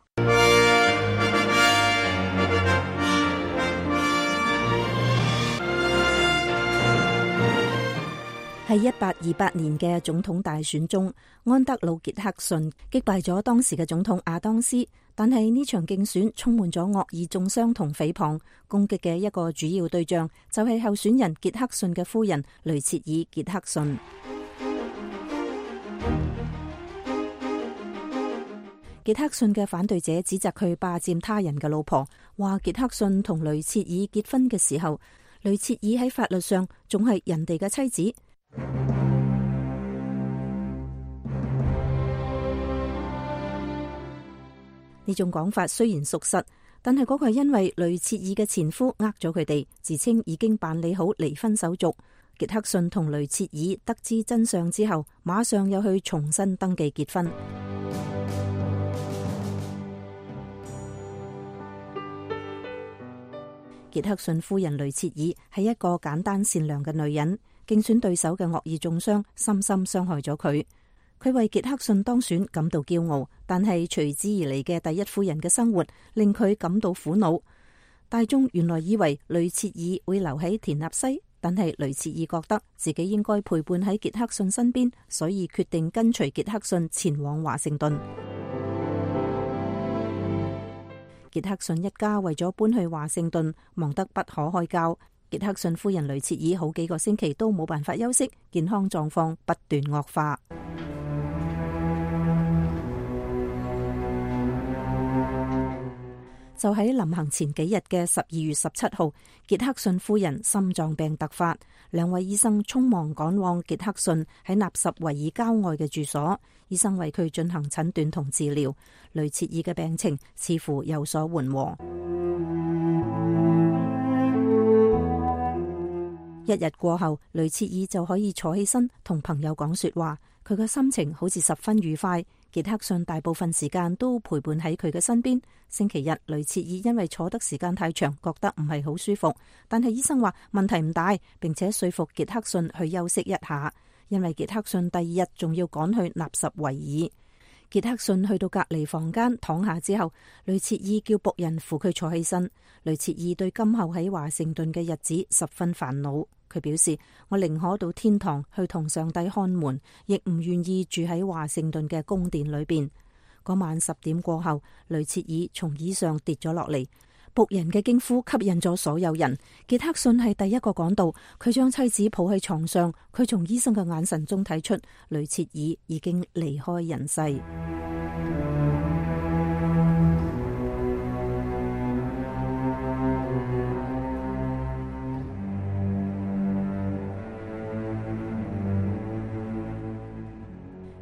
喺一八二八年嘅總統大選中，安德魯傑克遜擊敗咗當時嘅總統亞當斯，但係呢場競選充滿咗惡意中傷同誹謗，攻擊嘅一個主要對象就係候選人傑克遜嘅夫人雷切爾傑克遜。傑克遜嘅反對者指責佢霸佔他人嘅老婆，話傑克遜同雷切爾結婚嘅時候，雷切爾喺法律上仲係人哋嘅妻子。呢種講法雖然屬實，但係嗰個係因為雷切爾嘅前夫呃咗佢哋，自稱已經辦理好離婚手續。傑克遜同雷切爾得知真相之後，馬上又去重新登記結婚。傑克遜夫人雷切爾係一個簡單善良嘅女人，競選對手嘅惡意中傷深深傷害咗佢。佢為傑克遜當選感到驕傲，但係隨之而嚟嘅第一夫人嘅生活令佢感到苦惱。大眾原來以為雷切爾會留喺田納西，但係雷切爾覺得自己應該陪伴喺傑克遜身邊，所以決定跟隨傑克遜前往華盛頓。傑克遜一家為咗搬去華盛頓，忙得不可開交。傑克遜夫人雷切爾好幾個星期都冇辦法休息，健康狀況不斷惡化。就喺臨行前幾日嘅十二月十七號，傑克遜夫人心臟病突發，兩位醫生匆忙趕往傑克遜喺納什維爾郊外嘅住所，醫生為佢進行診斷同治療。雷切爾嘅病情似乎有所緩和。一日過後，雷切爾就可以坐起身同朋友講說話，佢嘅心情好似十分愉快。傑克遜大部分時間都陪伴喺佢嘅身邊。星期日，雷切爾因為坐得時間太長，覺得唔係好舒服，但係醫生話問題唔大，並且說服傑克遜去休息一下，因為傑克遜第二日仲要趕去納什維爾。傑克遜去到隔離房間躺下之後，雷切爾叫僕人扶佢坐起身。雷切爾對今後喺華盛頓嘅日子十分煩惱。佢表示：我寧可到天堂去同上帝看門，亦唔願意住喺華盛頓嘅宮殿裏邊。嗰晚十點過後，雷切爾從椅上跌咗落嚟，僕人嘅驚呼吸引咗所有人。傑克遜係第一個趕到，佢將妻子抱喺床上，佢從醫生嘅眼神中睇出雷切爾已經離開人世。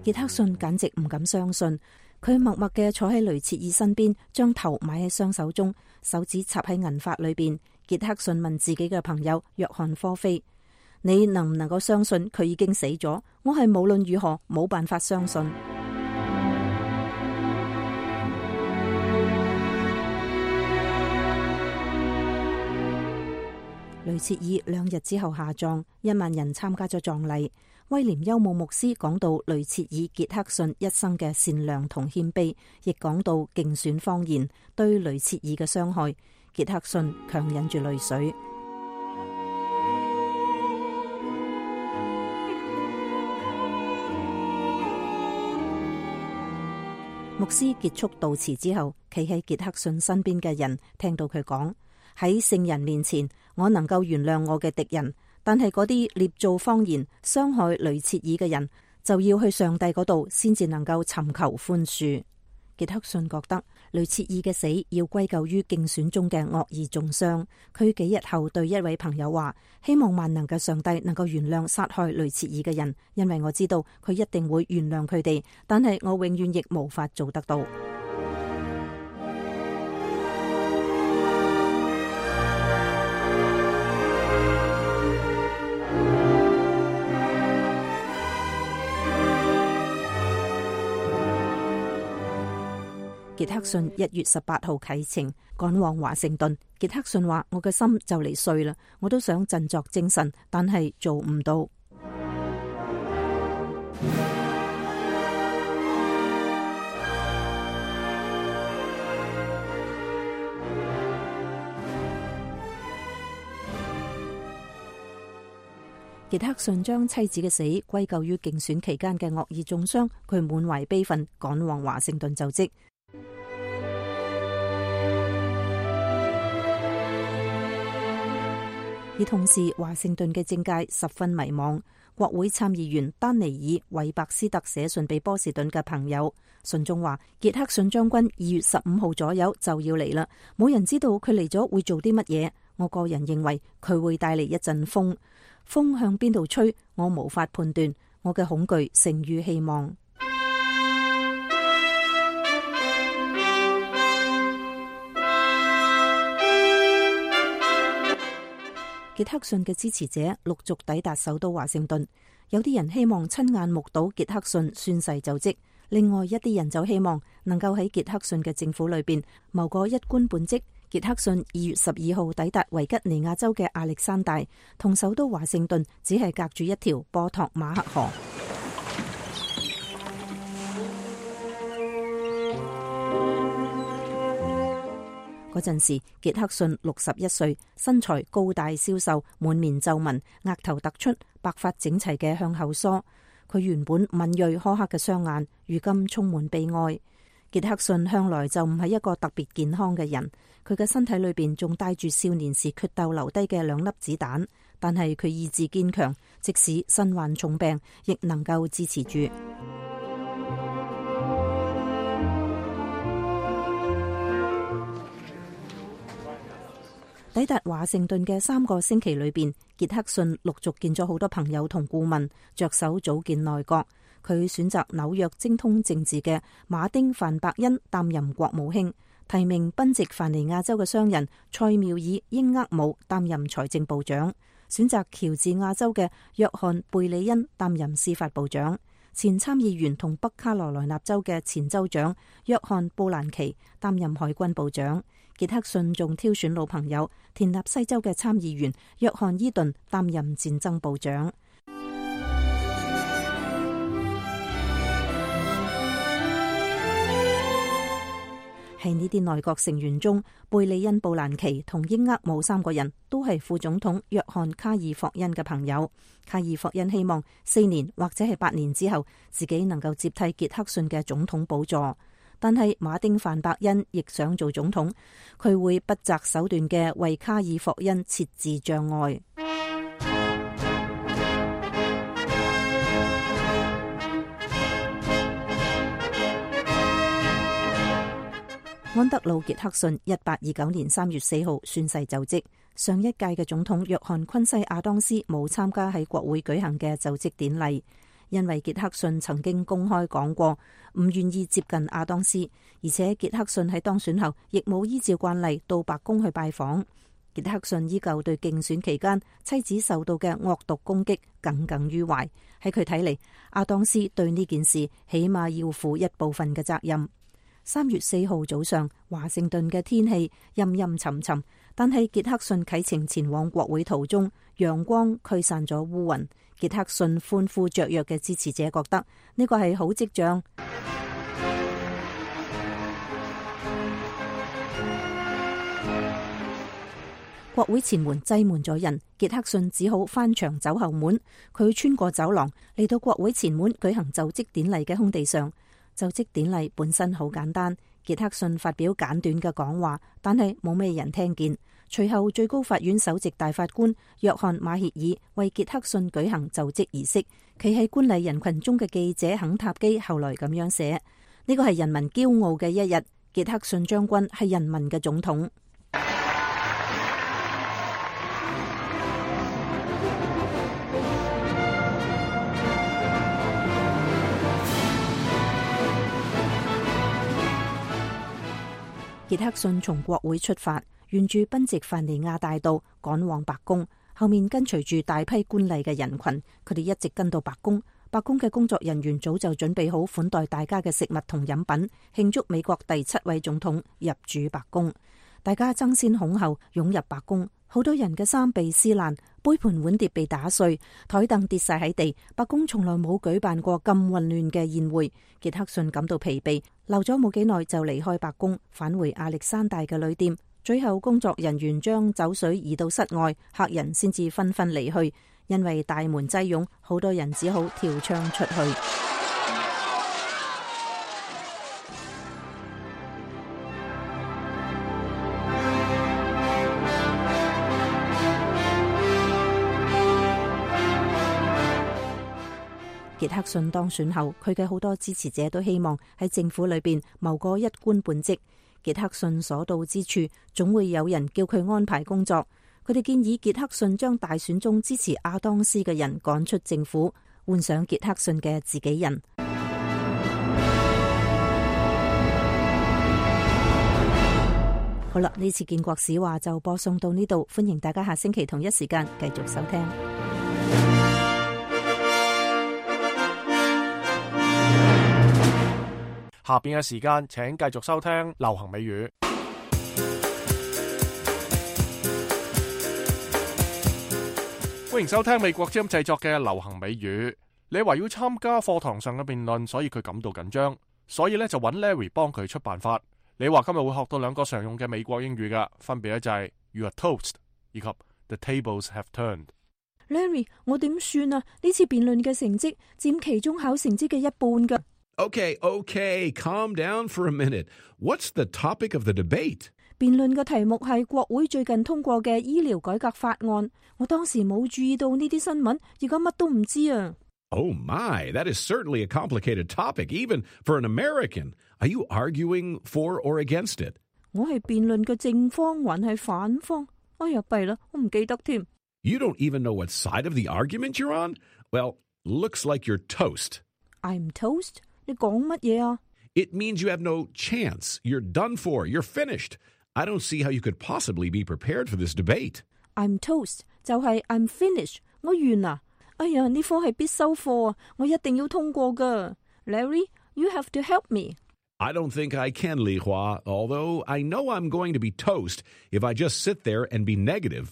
傑克遜簡直唔敢相信，佢默默嘅坐喺雷切爾身邊，將頭埋喺雙手中，手指插喺銀髮裏邊。傑克遜問自己嘅朋友約翰科菲：你能唔能夠相信佢已經死咗？我係無論如何冇辦法相信。雷切爾兩日之後下葬，一萬人參加咗葬禮。威廉休姆牧師講到雷切爾傑克遜一生嘅善良同謙卑，亦講到競選謊言對雷切爾嘅傷害。傑克遜強忍住淚水。牧師結束悼詞之後，企喺傑克遜身邊嘅人聽到佢講：喺聖人面前，我能夠原諒我嘅敵人。但係嗰啲捏造謊言傷害雷切爾嘅人，就要去上帝嗰度先至能夠尋求寬恕。傑克遜覺得雷切爾嘅死要歸咎於競選中嘅惡意中傷。佢幾日後對一位朋友話：希望萬能嘅上帝能夠原諒殺害雷切爾嘅人，因為我知道佢一定會原諒佢哋，但係我永遠亦無法做得到。傑克遜一月十八號啟程趕往華盛頓。傑克遜話：我嘅心就嚟碎啦，我都想振作精神，但係做唔到。傑克遜將妻子嘅死歸咎於競選期間嘅惡意中傷，佢滿懷悲憤趕往華盛頓就職。而同時，華盛頓嘅政界十分迷茫。國會參議員丹尼爾·韋伯斯特寫信俾波士頓嘅朋友，信中話：傑克遜將軍二月十五號左右就要嚟啦，冇人知道佢嚟咗會做啲乜嘢。我個人認為佢會帶嚟一陣風，風向邊度吹，我無法判斷。我嘅恐懼勝於希望。傑克遜嘅支持者陸續抵達首都華盛頓，有啲人希望親眼目睹傑克遜宣誓就職，另外一啲人就希望能夠喺傑克遜嘅政府裏邊謀個一官半職。傑克遜二月十二號抵達維吉尼亞州嘅亞歷山大，同首都華盛頓只係隔住一條波托馬克河。嗰陣時，傑克遜六十一歲，身材高大消瘦，滿面皺紋，額頭突出，白髮整齊嘅向後梳。佢原本敏銳苛刻嘅雙眼，如今充滿悲哀。傑克遜向來就唔係一個特別健康嘅人，佢嘅身體裏邊仲帶住少年時決鬥留低嘅兩粒子彈，但係佢意志堅強，即使身患重病，亦能夠支持住。抵達華盛頓嘅三個星期裏邊，傑克遜陸續見咗好多朋友同顧問，着手組建內閣。佢選擇紐約精通政治嘅馬丁范伯恩擔任國務卿，提名賓夕凡尼亞州嘅商人塞繆爾英厄姆擔任財政部長，選擇喬治亞州嘅約翰貝里恩擔任司法部長，前參議員同北卡羅來納州嘅前州長約翰布蘭奇擔任海軍部長。傑克遜仲挑選老朋友田納西州嘅參議員約翰伊頓擔任戰爭部長。喺呢啲內閣成員中，貝利恩、布蘭奇同英厄姆三個人都係副總統約翰卡爾霍恩嘅朋友。卡爾霍恩希望四年或者係八年之後，自己能夠接替傑克遜嘅總統寶座。但係馬丁范伯恩亦想做總統，佢會不擇手段嘅為卡爾霍恩設置障礙。安德魯·傑克遜一八二九年三月四號宣誓就職。上一屆嘅總統約翰昆西亞當斯冇參加喺國會舉行嘅就職典禮，因為傑克遜曾經公開講過唔願意接近亞當斯，而且傑克遜喺當選後亦冇依照慣例到白宮去拜訪。傑克遜依舊對競選期間妻子受到嘅惡毒攻擊耿耿於懷。喺佢睇嚟，亞當斯對呢件事起碼要負一部分嘅責任。三月四號早上，華盛頓嘅天氣陰陰沉沉，但係傑克遜啟程前往國會途中，陽光驅散咗烏雲。傑克遜歡呼雀躍嘅支持者覺得呢個係好跡象。國會前門擠滿咗人，傑克遜只好翻牆走後門。佢穿過走廊嚟到國會前門舉行就職典禮嘅空地上。就職典禮本身好簡單，傑克遜發表簡短嘅講話，但係冇咩人聽見。隨後最高法院首席大法官約翰馬歇爾為傑克遜舉行就職儀式。企喺觀禮人群中嘅記者肯塔基後來咁樣寫：呢個係人民驕傲嘅一日，傑克遜將軍係人民嘅總統。傑克遜從國會出發，沿住賓夕凡尼亞大道趕往白宮，後面跟隨住大批觀禮嘅人群，佢哋一直跟到白宮。白宮嘅工作人員早就準備好款待大家嘅食物同飲品，慶祝美國第七位總統入主白宮。大家爭先恐後湧入白宮，好多人嘅衫被撕爛，杯盤碗碟被打碎，台凳跌晒喺地。白宮從來冇舉辦過咁混亂嘅宴會。傑克遜感到疲憊，留咗冇幾耐就離開白宮，返回亞歷山大嘅旅店。最後工作人員將酒水移到室外，客人先至紛紛離去。因為大門擠擁，好多人只好跳窗出去。傑克遜當選後，佢嘅好多支持者都希望喺政府裏邊謀個一官半職。傑克遜所到之處，總會有人叫佢安排工作。佢哋建議傑克遜將大選中支持亞當斯嘅人趕出政府，換上傑克遜嘅自己人。好啦，呢次建國史話就播送到呢度，歡迎大家下星期同一時間繼續收聽。下邊嘅時間，請繼續收聽流行美語。歡迎收聽美國之音製作嘅流行美語。你話要參加課堂上嘅辯論，所以佢感到緊張，所以咧就揾 Larry 幫佢出辦法。你話今日會學到兩個常用嘅美國英語噶，分別咧就係 You are toast 以及 The tables have turned。Larry， 我點算啊？呢次辯論嘅成績佔期中考成績嘅一半噶。Okay, okay, calm down for a minute. What's the topic of the debate? 辯論嘅題目係國會最近通過嘅醫療改革法案。我當時冇注意到呢啲新聞，而家乜都唔知啊。Oh my, that is certainly a complicated topic, even for an American. Are you arguing for or against it? 我係辯論嘅正方還係反方？哎呀，弊啦，我唔記得添。You don't even know what side of the argument you're on? Well, looks like you're toast. I'm toast? 你講乜嘢啊？ It means you have no chance. You're done for. You're finished. I don't see how you could possibly be prepared for this debate. I'm toast 就係 I'm finished， 我完啦。哎呀，呢科係必修課啊，我一定要通過㗎。Larry, you have to help me. I don't think I can, Li Hua, although I know I'm going to be toast if I just sit there and be negative.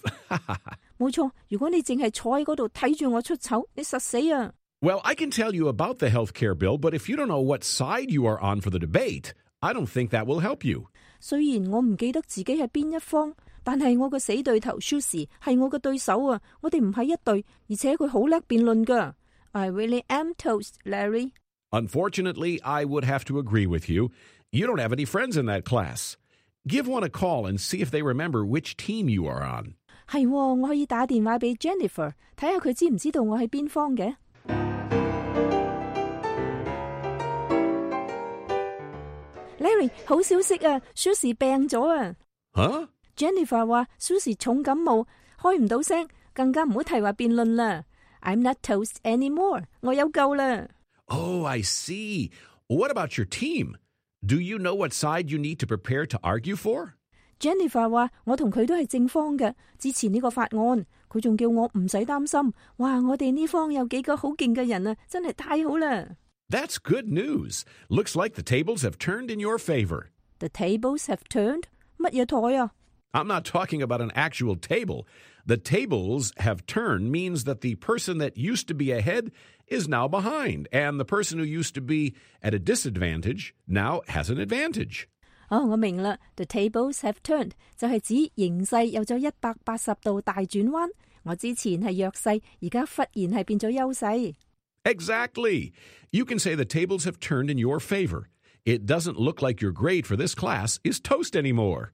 冇錯，如果你淨係坐喺嗰度睇住我出醜，你實死啊！ Well, I can tell you about the health care bill, but if you don't know what side you are on for the debate, I don't think that will help you. 雖然我唔記得自己係邊一方，但係我個死對頭 Susie 係我嘅對手啊！我哋唔係一對，而且佢好叻辯論㗎。I really am toast, Larry. Unfortunately, I would have to agree with you. You don't have any friends in that class. Give one a call and see if they remember which team you are on. 係，我可以打電話俾 Jennifer， 睇下佢知唔知道我係邊方嘅。Larry， 好消息啊 ，Susie 病咗啊！吓 ？Jennifer 話 Susie 重感冒，開唔到聲，更加唔好提話辯論啦。I'm not toast anymore， 我有救啦。Oh, I see. What about your team? Do you know what side you need to prepare to argue for? Jennifer 話我同佢都係正方嘅，支持呢個法案。佢仲叫我唔使擔心。哇，我哋呢方有幾個好勁嘅人啊，真係太好啦！ That's good news. Looks like the tables have turned in your favor. The tables have turned? 乜嘢台啊？ I'm not talking about an actual table. The tables have turned means that the person that used to be ahead is now behind, and the person who used to be at a disadvantage now has an advantage. 哦，我明啦。The tables have turned 就係指形勢有咗一百八十度大轉彎。我之前係弱勢，而家忽然係變咗優勢。Exactly. You can say the tables have turned in your favor. It doesn't look like your grade for this class is toast anymore.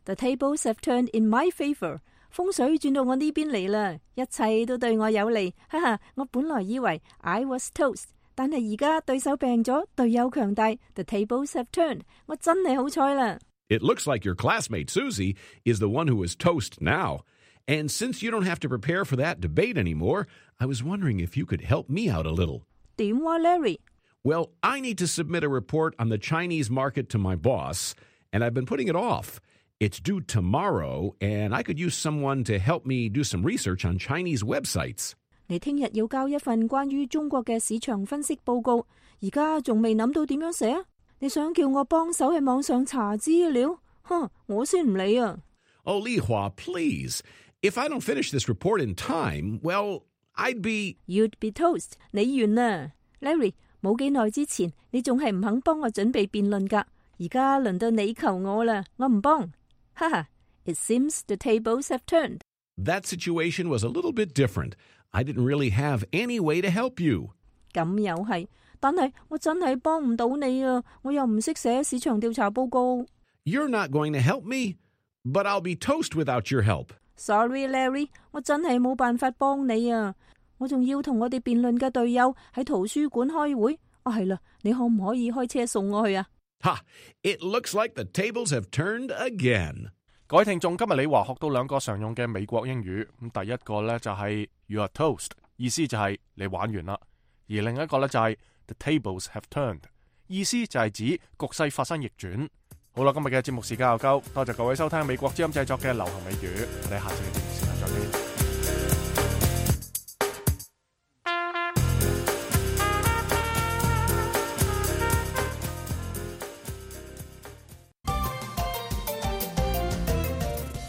The tables have turned in my favor. 風水轉到我呢邊嚟啦，一切都對我有利。哈哈，我本來以為 I was toast， 但係而家對手病咗，隊友強大。The tables have turned. 我真係好彩啦。It looks like your classmate Susie is the one who is toast now. And since you don't have to prepare for that debate anymore, I was wondering if you could help me out a little. 點話 Larry? Well, I need to submit a report on the Chinese market to my boss, and I've been putting it off. It's due tomorrow, and I could use someone to help me do some research on Chinese websites. 你聽日要交一份關於中國嘅市場分析報告，而家仲未諗到點樣寫啊？你想叫我幫手喺網上查資料？哼，我先唔理啊！ Oh, Li Hua, please. If I don't finish this report in time, well, I'd be... You'd be toast. 你完啦 ，Larry。冇幾耐之前，你仲係唔肯幫我準備辯論㗎，而家輪到你求我啦，我唔幫。哈哈 ，It seems the tables have turned. That situation was a little bit different. I didn't really have any way to help you. 咁又係，但係我真係幫唔到你啊！我又唔識寫市場調查報告。You're not going to help me, but I'll be toast without your help. Sorry, Larry， 我真係冇辦法幫你啊！我仲要同我哋辯論嘅隊友喺圖書館開會。啊，係啦，你可唔可以開車送我去啊？ Ha! It looks like the tables have turned again. 各位聽眾，今日李華學到兩個常用嘅美國英語。咁第一個咧就係 You are toast， 意思就係你玩完啦。而另一個咧就係 The tables have turned， 意思就係指局勢發生逆轉。好啦，今日嘅節目時間又夠，多謝各位收聽美國之音製作嘅流行美語。我哋下次嘅節目時間再見。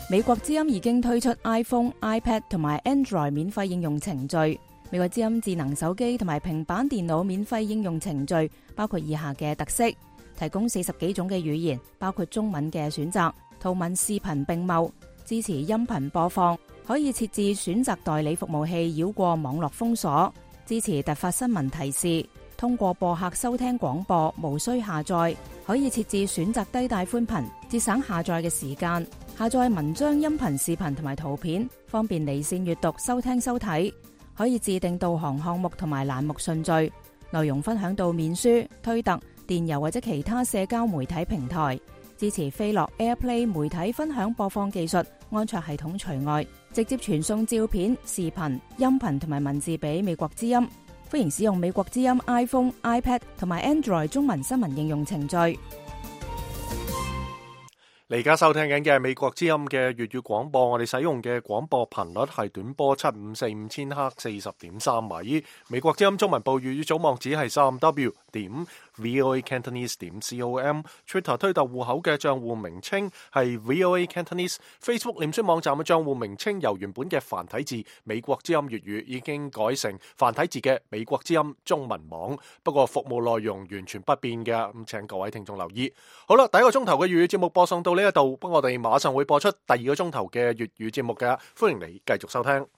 美國之音已經推出 iPhone、iPad 同埋 Android 免費應用程序。美國之音智能手機同埋平板電腦免費應用程序包括以下嘅特色：提供四十幾種嘅語言，包括中文嘅選擇，圖文視頻並茂，支持音頻播放，可以設置選擇代理服務器繞過網絡封鎖，支持突發新聞提示，通過播客收聽廣播，無需下載，可以設置選擇低帶寬頻，節省下載嘅時間。下載文章、音頻、視頻同埋圖片，方便離線閱讀、收聽、收睇。可以自定導航項目同埋欄目順序，內容分享到面書、推特、電郵或者其他社交媒體平台。支持飛樂 AirPlay 媒體分享播放技術，安卓系統除外，直接傳送照片、視頻、音頻同埋文字俾美國之音。歡迎使用美國之音 iPhone、iPad 同埋 Android 中文新聞應用程序。你而家收聽緊嘅係美國之音嘅粵語廣播，我哋使用嘅廣播頻率係短波七五四五千赫四十點三米。美國之音中文部粵語組網址係三 W 點 VOA Cantonese 點 com。Twitter 推特戶口嘅賬戶名稱係 VOA Cantonese。Facebook 臉書網站嘅賬戶名稱由原本嘅繁體字美國之音粵語已經改成繁體字嘅美國之音中文網，不過服務內容完全不變嘅，咁請各位聽眾留意。好啦，第一個鐘頭嘅粵語節目播送到呢一度，不過我哋馬上會播出第二個鐘頭嘅粵語節目嘅，歡迎你繼續收聽。